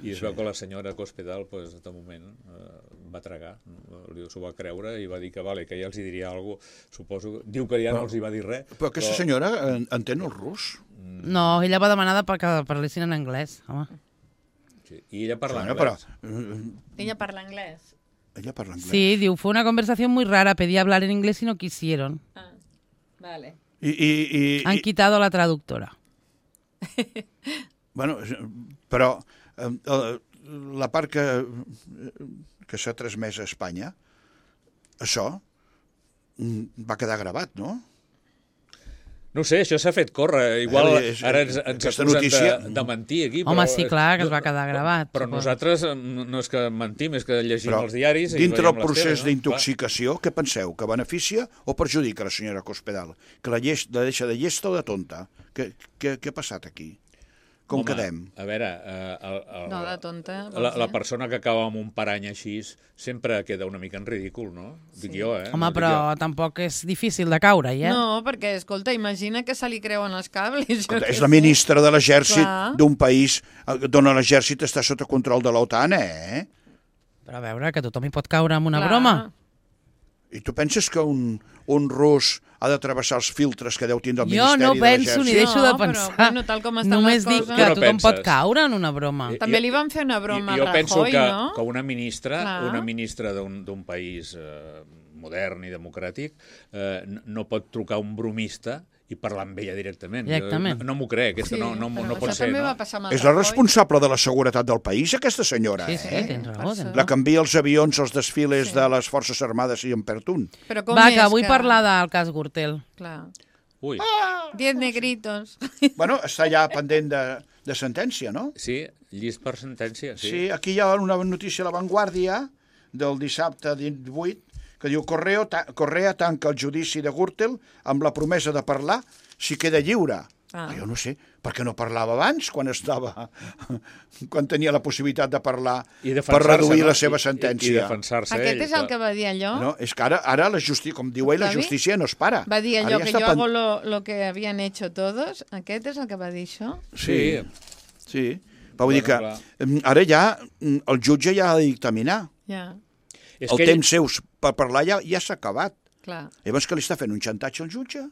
I es veu que la senyora Cospedal, pues, de moment, eh, va tragar, no? S'ho va creure i va dir que, vale, que ja els hi diria alguna cosa, suposo. Diu que ja no els hi va dir res. Però aquesta senyora en- entén el rus? No, ella va demanar de que parlessin en anglès, home. Sí. I ella parla Bueno, però, anglès. eh, Ella parla anglès. ella parla anglès. Sí, diu, fue una conversación muy rara, pedí hablar en inglés y no quisieron. Ah, vale. I, i, i, Han i, quitado la traductora. bueno, però eh, eh, la part que, que s'ha transmès a Espanya, això mm, va quedar gravat, no? No ho sé, això s'ha fet córrer. Igual Eh, és- ara ens, ens aquesta acusen notícia- de, de mentir aquí. Home, però, sí, clar, que es va quedar gravat, Però suposo. nosaltres eh, no és que mentim, és que llegim Però els diaris i dintre veiem el les procés teles, no? d'intoxicació, què penseu? Que beneficia o perjudica la senyora Cospedal? Que la, llest, la deixa de llesta o de tonta? Què, què, què ha passat aquí? Com Home, quedem? A veure, eh, el, el, No, de tonta, vols La, la dir? persona que acaba amb un parany així sempre queda una mica en ridícul, no? Dic jo, eh? Home, no dic però jo. tampoc és difícil de caure-hi, eh? No, perquè, escolta, imagina que se li creuen els cables. jo Escolta, què és la sé. ministra de l'exèrcit Clar. d'un país eh, d'on l'exèrcit està sota control de l'OTAN, eh? Però a veure, que tothom hi pot caure amb una Clar. broma. I tu penses que un, un rus ha de travessar els filtres que deu tindre el Jo Ministeri no de penso ni l'Exèrcit? deixo No, de però, pensar. bueno, tal com estan Només les dic coses. que Tu no tothom pot penses. caure en una broma. Eh, També Jo- li van fer una broma jo, jo a penso Rajoy, que, no? que una ministra, Clar. una ministra d'un d'un país eh, modern i democràtic eh, no, no pot trucar a un bromista i parlar amb ella directament. Directament. Jo no, no m'ho crec, aquesta Sí, no, no, però no pot això ser. també No? va passar amb el És la Rajoy. responsable de la seguretat del país, aquesta senyora, Sí, sí, eh? tens raó. Per Tens això. La raó. que envia els avions als desfiles Sí. de les Forces Armades i en perd un. Però com Va, és que vull parlar del cas Gürtel. Clar. Ui, Diez negritos. Bueno, està ja pendent de, de sentència, no? sí, llist per sentència, sí. Sí, aquí hi ha una notícia a La Vanguardia del dissabte divuit que diu Correo ta Correa tanca el judici de Gürtel amb la promesa de parlar si queda lliure. Ah. Jo no sé, per què no parlava abans, quan estava, quan tenia la possibilitat de parlar I per defensar-se, reduir no? la seva I- I, sentència. i defensar-se Aquest ell. és el clar. que va dir allò? No, és que ara, ara la justícia, com diu ell, la Va dir? justícia no es para. Va dir Ara allò ja que està jo pen- hago lo, lo que habían hecho todos. Aquest és el que va dir això? Sí, Sí. sí. Però vull dir que Bueno, mm, ara ja mm, el jutge ja ha de dictaminar. Ja, És El que ell, temps seus per parlar ja, ja s'ha acabat. clar. Llavors que li està fent un xantatge al jutge?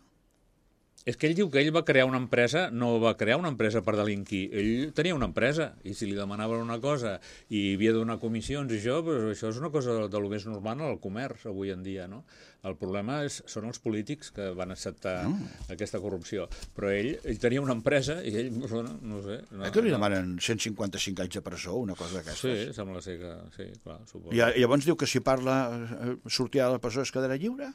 és que ell diu que ell va crear una empresa, no va crear una empresa per delinquir. Ell tenia una empresa i si li demanaven una cosa i havia de donar comissions i això, doncs això és una cosa de, de lo més normal al comerç avui en dia, no? El problema és, són els polítics que van acceptar No. aquesta corrupció. Però ell, ell tenia una empresa i ell, bueno, no sé... No, Eh que li no. demanen cent cinquanta-cinc anys de presó, una cosa d'aquestes? Sí, sembla ser que... Sí, clar, suposo. I a- llavors diu que si parla, eh, sortirà de la presó es quedarà lliure?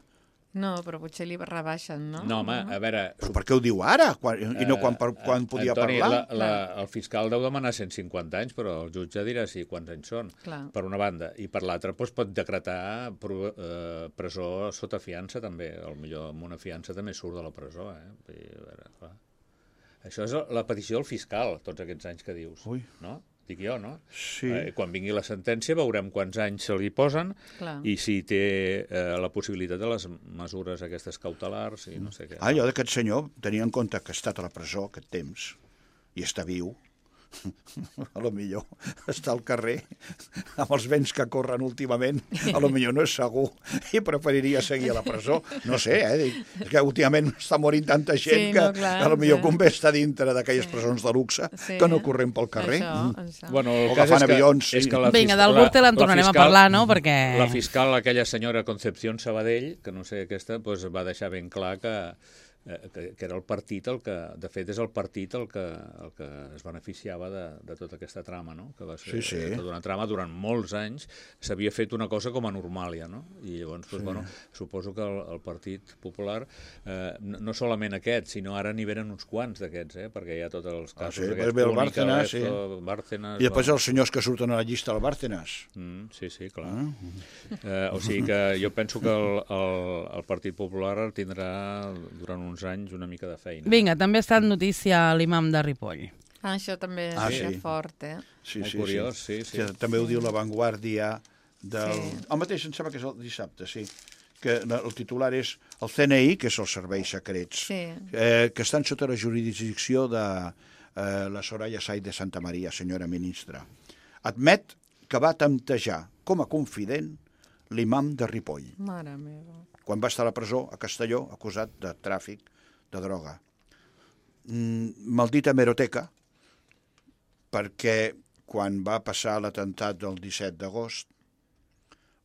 No, però potser li rebaixen, no? No, home, a veure... Però per què ho diu ara? Quan, I no quan, per, Eh, quan podia Antoni, parlar? La, la, el fiscal deu demanar cent cinquanta anys, però el jutge dirà sí quants anys són, Clar. per una banda. I per l'altra doncs, pot decretar pro, eh, presó sota fiança, també. Potser amb una fiança també surt de la presó. Eh? Vull dir, a veure, clar. Això és la petició del fiscal, tots aquests anys que dius. Ui. No? Dic jo, no? Sí. Eh, quan vingui la sentència veurem quants anys se li posen Clar. i si té eh, la possibilitat de les mesures aquestes cautelars i no sé què. Ah, allò d'aquest senyor, tenia en compte que ha estat a la presó aquest temps i està viu, a lo millor està al carrer amb els vents que corren últimament, a lo millor no és segur i preferiria seguir a la presó. No sé, eh? Dic, és que últimament està morint tanta gent Sí, que no, clar, a lo millor sí. convé estar dintre d'aquelles Sí. presons de luxe Sí. que no corrent pel carrer. Això, Mm. això. Bueno, el O cas agafant és que, avions, és sí. que la Vinga, fiscal- del Gürtel en la tornarem a fiscal- parlar, no? Perquè... La fiscal, aquella senyora Concepción Sabadell, que no sé aquesta, doncs va deixar ben clar que eh, que, que era el partit el que, de fet, és el partit el que, el que es beneficiava de, de tota aquesta trama, no? Que va ser sí, sí. tota una trama durant molts anys, s'havia fet una cosa com a Normàlia, no? I llavors, doncs, sí. bueno, suposo que el, el Partit Popular, eh, no, no solament aquest, sinó ara n'hi venen uns quants d'aquests, eh? Perquè hi ha tots els casos ah, sí, aquests, Púnica, Bárcenas, sí. Bárcenas... I després bueno. els senyors que surten a la llista del Bárcenas. Mm, sí, sí, clar. Ah. Eh, o sigui que jo penso que el, el, el Partit Popular tindrà durant uns anys una mica de feina. Vinga, també ha estat notícia l'imam de Ripoll. Ah, això també ah, és sí. fort, eh? Sí, Molt sí, curiós, sí. sí, sí. sí. També ho diu La Vanguardia del... Sí. El mateix, em sembla que és el dissabte, sí. Que el titular és el C N I, que és els serveis secrets, sí. eh, que estan sota la jurisdicció de eh, la Soraya Sáenz de Santa Maria, senyora ministra. Admet que va temptejar com a confident l'imam de Ripoll. Mare meva. Quan va estar a la presó a Castelló, acusat de tràfic de droga. Mm, maldita hemeroteca, perquè quan va passar l'atemptat del disset d'agost,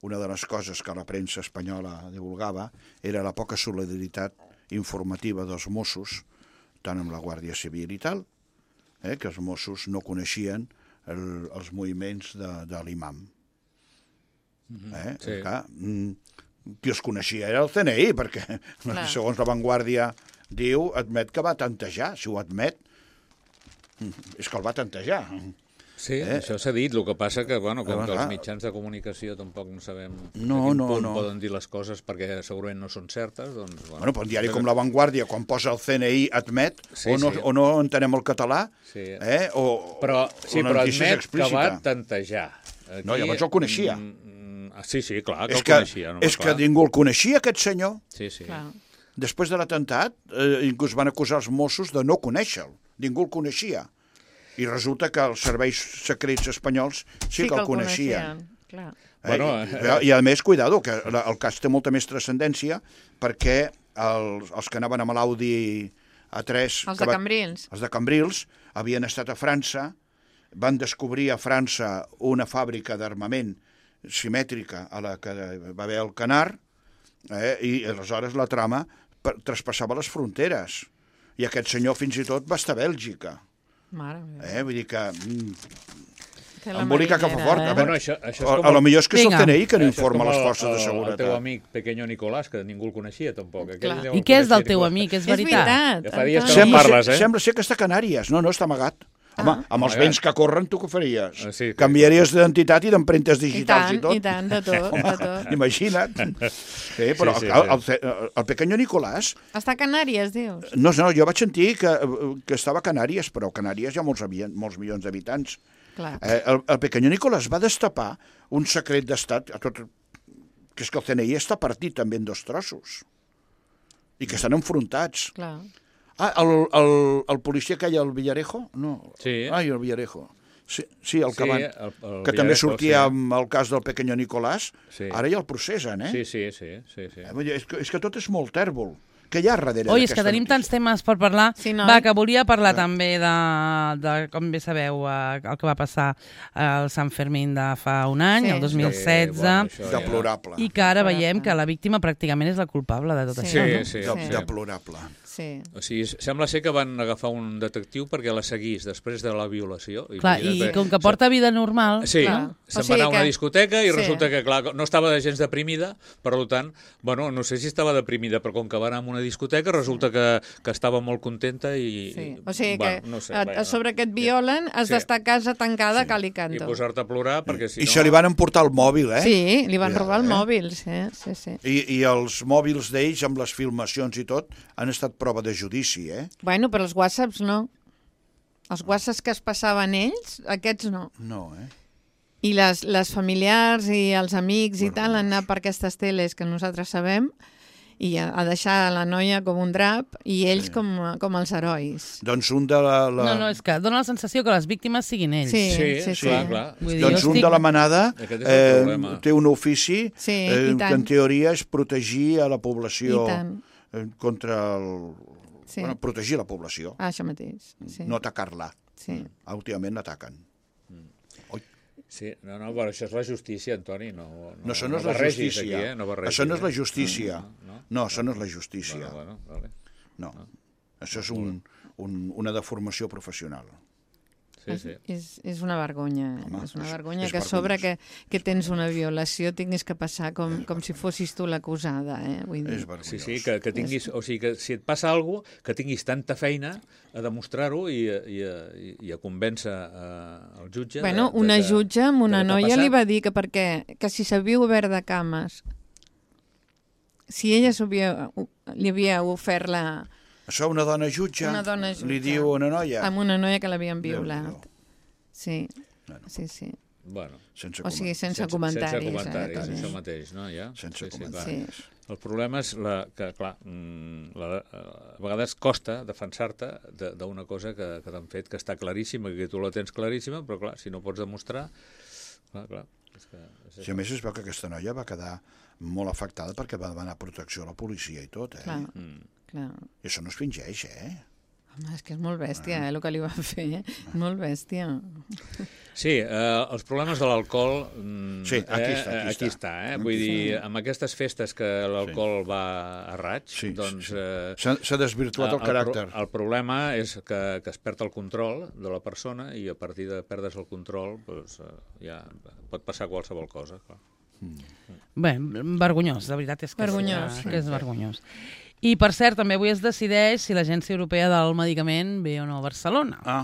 una de les coses que la premsa espanyola divulgava era la poca solidaritat informativa dels Mossos, tant amb la Guàrdia Civil i tal, eh, que els Mossos no coneixien el, els moviments de, de l'imam. Eh? Sí. Clar, qui els coneixia era el C N I, perquè clar. Segons La Vanguardia diu, admet que va tantejar. Si ho admet, és que el va tantejar. Sí, eh? Això s'ha dit, el que passa que, bueno, com que els mitjans de comunicació tampoc no sabem no, a quin no, punt no. poden dir les coses perquè segurament no són certes, doncs... Bueno, bueno però un diari com La Vanguardia, quan posa el C N I admet, sí, o, no, sí. o no entenem el català, sí. eh? o, però, sí, o però admet que va tantejar. Aquí, no, llavors el coneixia. Mm, sí, sí, clar, que és el que, coneixia. No, és clar. que ningú el coneixia, aquest senyor. Sí, sí. Clar. Després de l'atemptat, eh, inclús van acusar els Mossos de no conèixer-lo. Ningú el coneixia. I resulta que els serveis secrets espanyols sí, sí que el coneixien. Clar. Eh, bueno, eh, I, I a més, cuidado, que el cas té molta més transcendència perquè els, els que anaven amb l'Audi A tres... Els de Cambrils. Els de Cambrils havien estat a França, van descobrir a França una fàbrica d'armament simètrica a la que va haver el Canar, eh, i aleshores la trama traspassava les fronteres. I aquest senyor fins i tot va estar a Bèlgica. Mare meva. Eh, vull dir que... Mm, embolica que fa fort. Eh? A, bueno, això, això és a, com a lo millor és que és Vinga. el C N I que no informa el, les forces el, de seguretat. El teu amic Pequeño Nicolás, que ningú el coneixia tampoc. I què és del teu amic? És veritat? És veritat. Ja fa dies que Sembla, no parles, ser, eh? sembla ser que està a Canàries. No, no, està amagat. Home, Ah. amb els Amagat. vents que corren, tu què faries? Ah, sí, que- Canviaries d'identitat i d'empremtes I digitals tant, i tot? i tant, de tot, de tot. Imagina't. Sí, però Sí, sí, el, sí. el, el, el Pequeño Nicolás... Està a Canàries, dius? No, no, jo vaig sentir que, que estava a Canàries, però a Canàries hi ha molts, avian, molts milions d'habitants. Clar. Eh, el, el Pequeño Nicolás va destapar un secret d'estat, a tot, que és que el C N I està partit també en dos trossos i que estan enfrontats. Clar. Ah, el, el, el policia que hi ha al Villarejo? No. Sí. Ai, el Villarejo. Sí, sí, el que, Sí, van, el- el que també Villarejo, sortia sí. amb el cas del Pequeño Nicolás. Sí. Ara ja el processen, eh? Sí, sí, sí, sí, sí. Eh, vull dir, És, que, és que tot és molt tèrbol. Què hi ha darrere Oi, és que d'aquesta tenim notícia? tants temes per parlar. Sí, no? Va, que volia parlar també de, de, com bé sabeu, eh, el que va passar al Sant Fermín de fa un any, Sí. el dos mil setze, Sí, bueno, això ja- Deplorable. i que ara Deplorable. veiem que la víctima pràcticament és la culpable de tot Sí. això. Sí, No? sí, De, sí. Deplorable. Sí. O sigui, sembla ser que van agafar un detectiu perquè la seguís després de la violació. Clar, i com que porta vida normal... Sí, Clar. se'n O va anar a sigui una que- discoteca i sí. resulta que, clar, no estava de gens deprimida, per tant, bueno, no sé si estava deprimida, però com que va anar a una discoteca resulta que, que estava molt contenta i... Sí. O sigui bueno, que no sé, a, vaja, a sobre que et violen has Sí. d'estar a casa tancada Sí. cal i I canto. posar-te a plorar perquè si I no... se li van emportar el mòbil, eh? Sí, li van Cuidado, robar el eh? mòbil, sí, sí, sí. I, I els mòbils d'ells, amb les filmacions i tot, han estat prova de judici, eh? Bueno, però els whatsapps no. Els whatsapps que es passaven ells, aquests no. No, eh? I les, les familiars i els amics i Bueno, tal han anat per aquestes teles que nosaltres sabem i a, a deixar la noia com un drap i ells Sí. com, com els herois. Doncs un de la... la... No, no, és que dona la sensació que les víctimes siguin ells. Sí, Sí, sí, sí. clar, clar. Vull dir, Doncs jo un estic- de la manada Aquest és el eh, problema. té un ofici Sí, eh, i que tant. en teoria és protegir a la població I tant. eh, contra el... Sí. Bueno, protegir la població, Ah, això mateix. Sí. no atacar-la. Sí. Últimament l'ataquen. Sí, no, no, però això és la justícia, Antoni, no... No, això no, és la barregis justícia. Aquí, eh? No barregis, això no és la eh? justícia. No, no, No, això no és la justícia. Bueno, bueno, vale. No. no. Això és un, un, una deformació professional. Sí, sí. És, és una vergonya. Home, és una és- vergonya és que a sobre que, vergonyós. que tens una violació tinguis que passar com, com si fossis tu l'acusada. Eh? Vull dir. És vergonyós. Sí, sí, que, que tinguis, o sigui, que si et passa alguna cosa, que tinguis tanta feina a demostrar-ho i, i, i, i a convèncer uh, el jutge... Bueno, de, de, una de, jutge amb una de què t'ha noia li passat. va dir que perquè que si s'havia obert de cames, si ella s'havia- li havia ofert la, Això una dona jutge, Una dona jutge. li diu a una noia... amb una noia que l'havien violat. Déu-n'hi-do. Sí, Bueno. sí, sí. Bueno, Sense O sigui, coment- sense, comentaris. sense comentaris, eh, això també. mateix, no? Ja? sense sí, sí, clar. comentaris. Sí. El problema és la, que, clar, mm, la, a vegades costa defensar-te de- d'una cosa que, que t'han fet, que està claríssima, que tu la tens claríssima, però clar, si no pots demostrar... Clar, clar, és que... És Si a més es veu que aquesta noia va quedar molt afectada perquè va demanar protecció a la policia i tot, eh? Clar, Mm. clar. I això no es fingeix, eh? Home, és que és molt bèstia, eh, el que li van fer. Molt bèstia. Sí, eh, els problemes de l'alcohol... Mm, Sí, aquí eh, està, aquí aquí està. està eh? Vull dir, amb aquestes festes que l'alcohol va a raig, Sí, doncs... sí, sí. Eh, S'ha s'ha desvirtuat el, pro- caràcter. el problema és que, que es perd el control de la persona i a partir de perdre's el control doncs, eh, ja pot passar qualsevol cosa. Clar. Bé, vergonyós, la veritat és que, Vergonyós, és, que és vergonyós. I, per cert, també avui es decideix si l'Agència Europea del Medicament ve o no a Barcelona. Ah,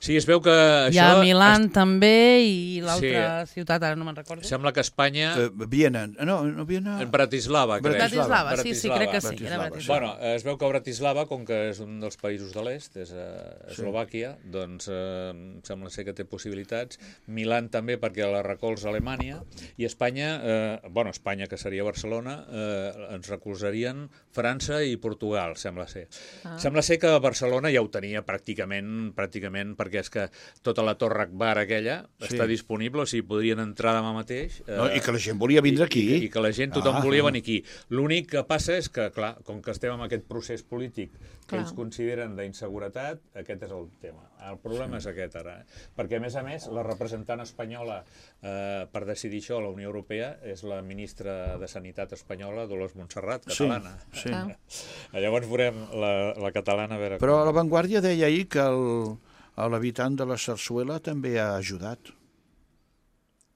Sí, es veu que Hi això... ha Milán també i l'altra Sí. ciutat, ara no me'n recordo. Sembla que Espanya... eh, Viena. No, no Viena... En Bratislava, crec. Bratislava, sí, sí, crec que sí. Bratislava, Era sí. Bratislava. Bueno, es veu que Bratislava, com que és un dels països de l'est, és a Eslovàquia, doncs eh, sembla ser que té possibilitats. Milán també, perquè la recolza Alemanya. I Espanya, eh, bueno, Espanya, que seria Barcelona, eh, ens recolzarien França i Portugal, sembla ser. Ah. Sembla ser que Barcelona ja ho tenia pràcticament, pràcticament, perquè és que tota la Torre Akbar aquella Sí. està disponible, o sigui, podrien entrar demà mateix. Eh, No, I que la gent volia vindre aquí. I, i que la gent, tothom Ah. volia venir aquí. L'únic que passa és que, clar, com que estem en aquest procés polític que Clar. ells consideren d'inseguretat, aquest és el tema. El problema sí. és aquest ara. Eh? Perquè, a més a més, la representant espanyola eh, per decidir això a la Unió Europea és la ministra de Sanitat espanyola, Dolors Montserrat, catalana. Sí, sí. Ah. Llavors veurem la, la catalana a veure Però com... La Vanguardia deia ahir que el, l'habitant de la Sarsuela també ha ajudat.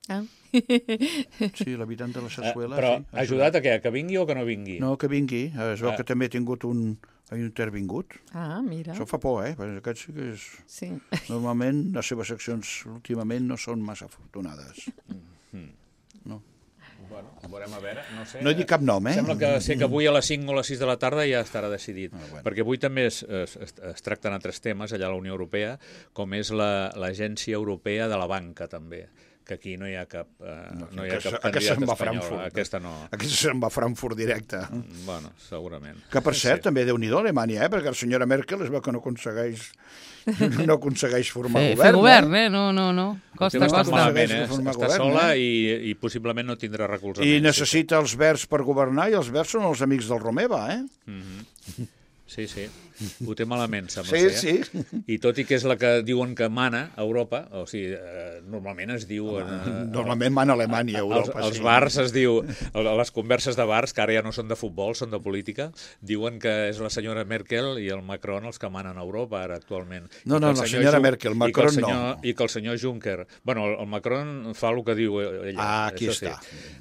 Ah. Sí, l'habitant de la Eh, Sarsuela... però sí, ha ajudat a què? A que vingui o que no vingui? No, que vingui. Es veu Ah. que també ha tingut un... ha intervingut. Ah, mira. Això fa por, eh? Perquè aquest sí que és... Sí. Normalment les seves accions últimament no són massa afortunades. No. Bueno, veurem a veure, no sé. No he dit cap nom, eh? Sembla que sé que avui a les cinc o les sis de la tarda ja estarà decidit, Ah, bueno. perquè avui també es, es, es, es tracten altres temes allà a la Unió Europea, com és la- l'Agència Europea de la Banca, també, que aquí no hi ha cap, eh, no, no hi ha aquesta- cap aquesta candidat se'n va a espanyol. Frankfurt. Aquesta no. Aquesta se'n va a Frankfurt directe. Bueno, segurament. Que, per cert, Sí. també Déu-n'hi-do Alemanya, eh? Perquè la senyora Merkel es veu que no aconsegueix, no aconsegueix formar Fer, govern. fer govern, eh? No, no, no. Costa, Està costa. malament, eh? Aconsegueix formar Està govern, sola eh? i, i possiblement no tindrà recolzament. I necessita els verds per governar, i els verds són els amics del Romeva, eh? Sí, sí. Ho té malament, sembla Sí, ser. sí. I tot i que és la que diuen que mana a Europa, o sigui, eh, normalment es diu... Eh, Normalment mana Alemanya, Els, Europa. els sí. bars es diu, a les converses de bars, que ara ja no són de futbol, són de política, diuen que és la senyora Merkel i el Macron els que manen a Europa ara actualment. No, I que no, el la senyor senyora Jun- Merkel, i que el Macron senyor, no. I que el senyor Juncker... Bueno, el, el Macron fa el que diu ella. Ah, aquí això està.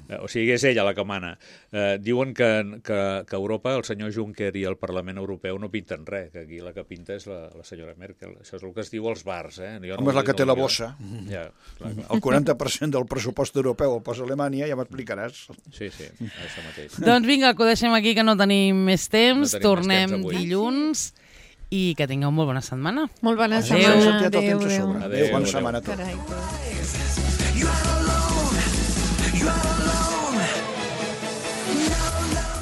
Eh, O sigui, és ella la que mana. Eh, diuen que, que, que a Europa el senyor Juncker i el Parlament Europeu no pinten res, que aquí la que pinta és la, la senyora Merkel. Això és el que es diu als bars, eh? Jo Home, és ho la dic, que té no la ho dic jo. bossa. Ja, clar, clar. El quaranta per cent del pressupost europeu el posa Alemanya, ja m'explicaràs. Sí, sí, això mateix. Doncs vinga, que ho deixem aquí, que no tenim més temps. No tenim més Tornem temps avui. dilluns i que tingueu molt bona setmana. Molt bona Adéu. setmana. S'ha tirat el temps a Adéu, sobre. Adéu, Bona adéu. setmana a tots. Carai, que...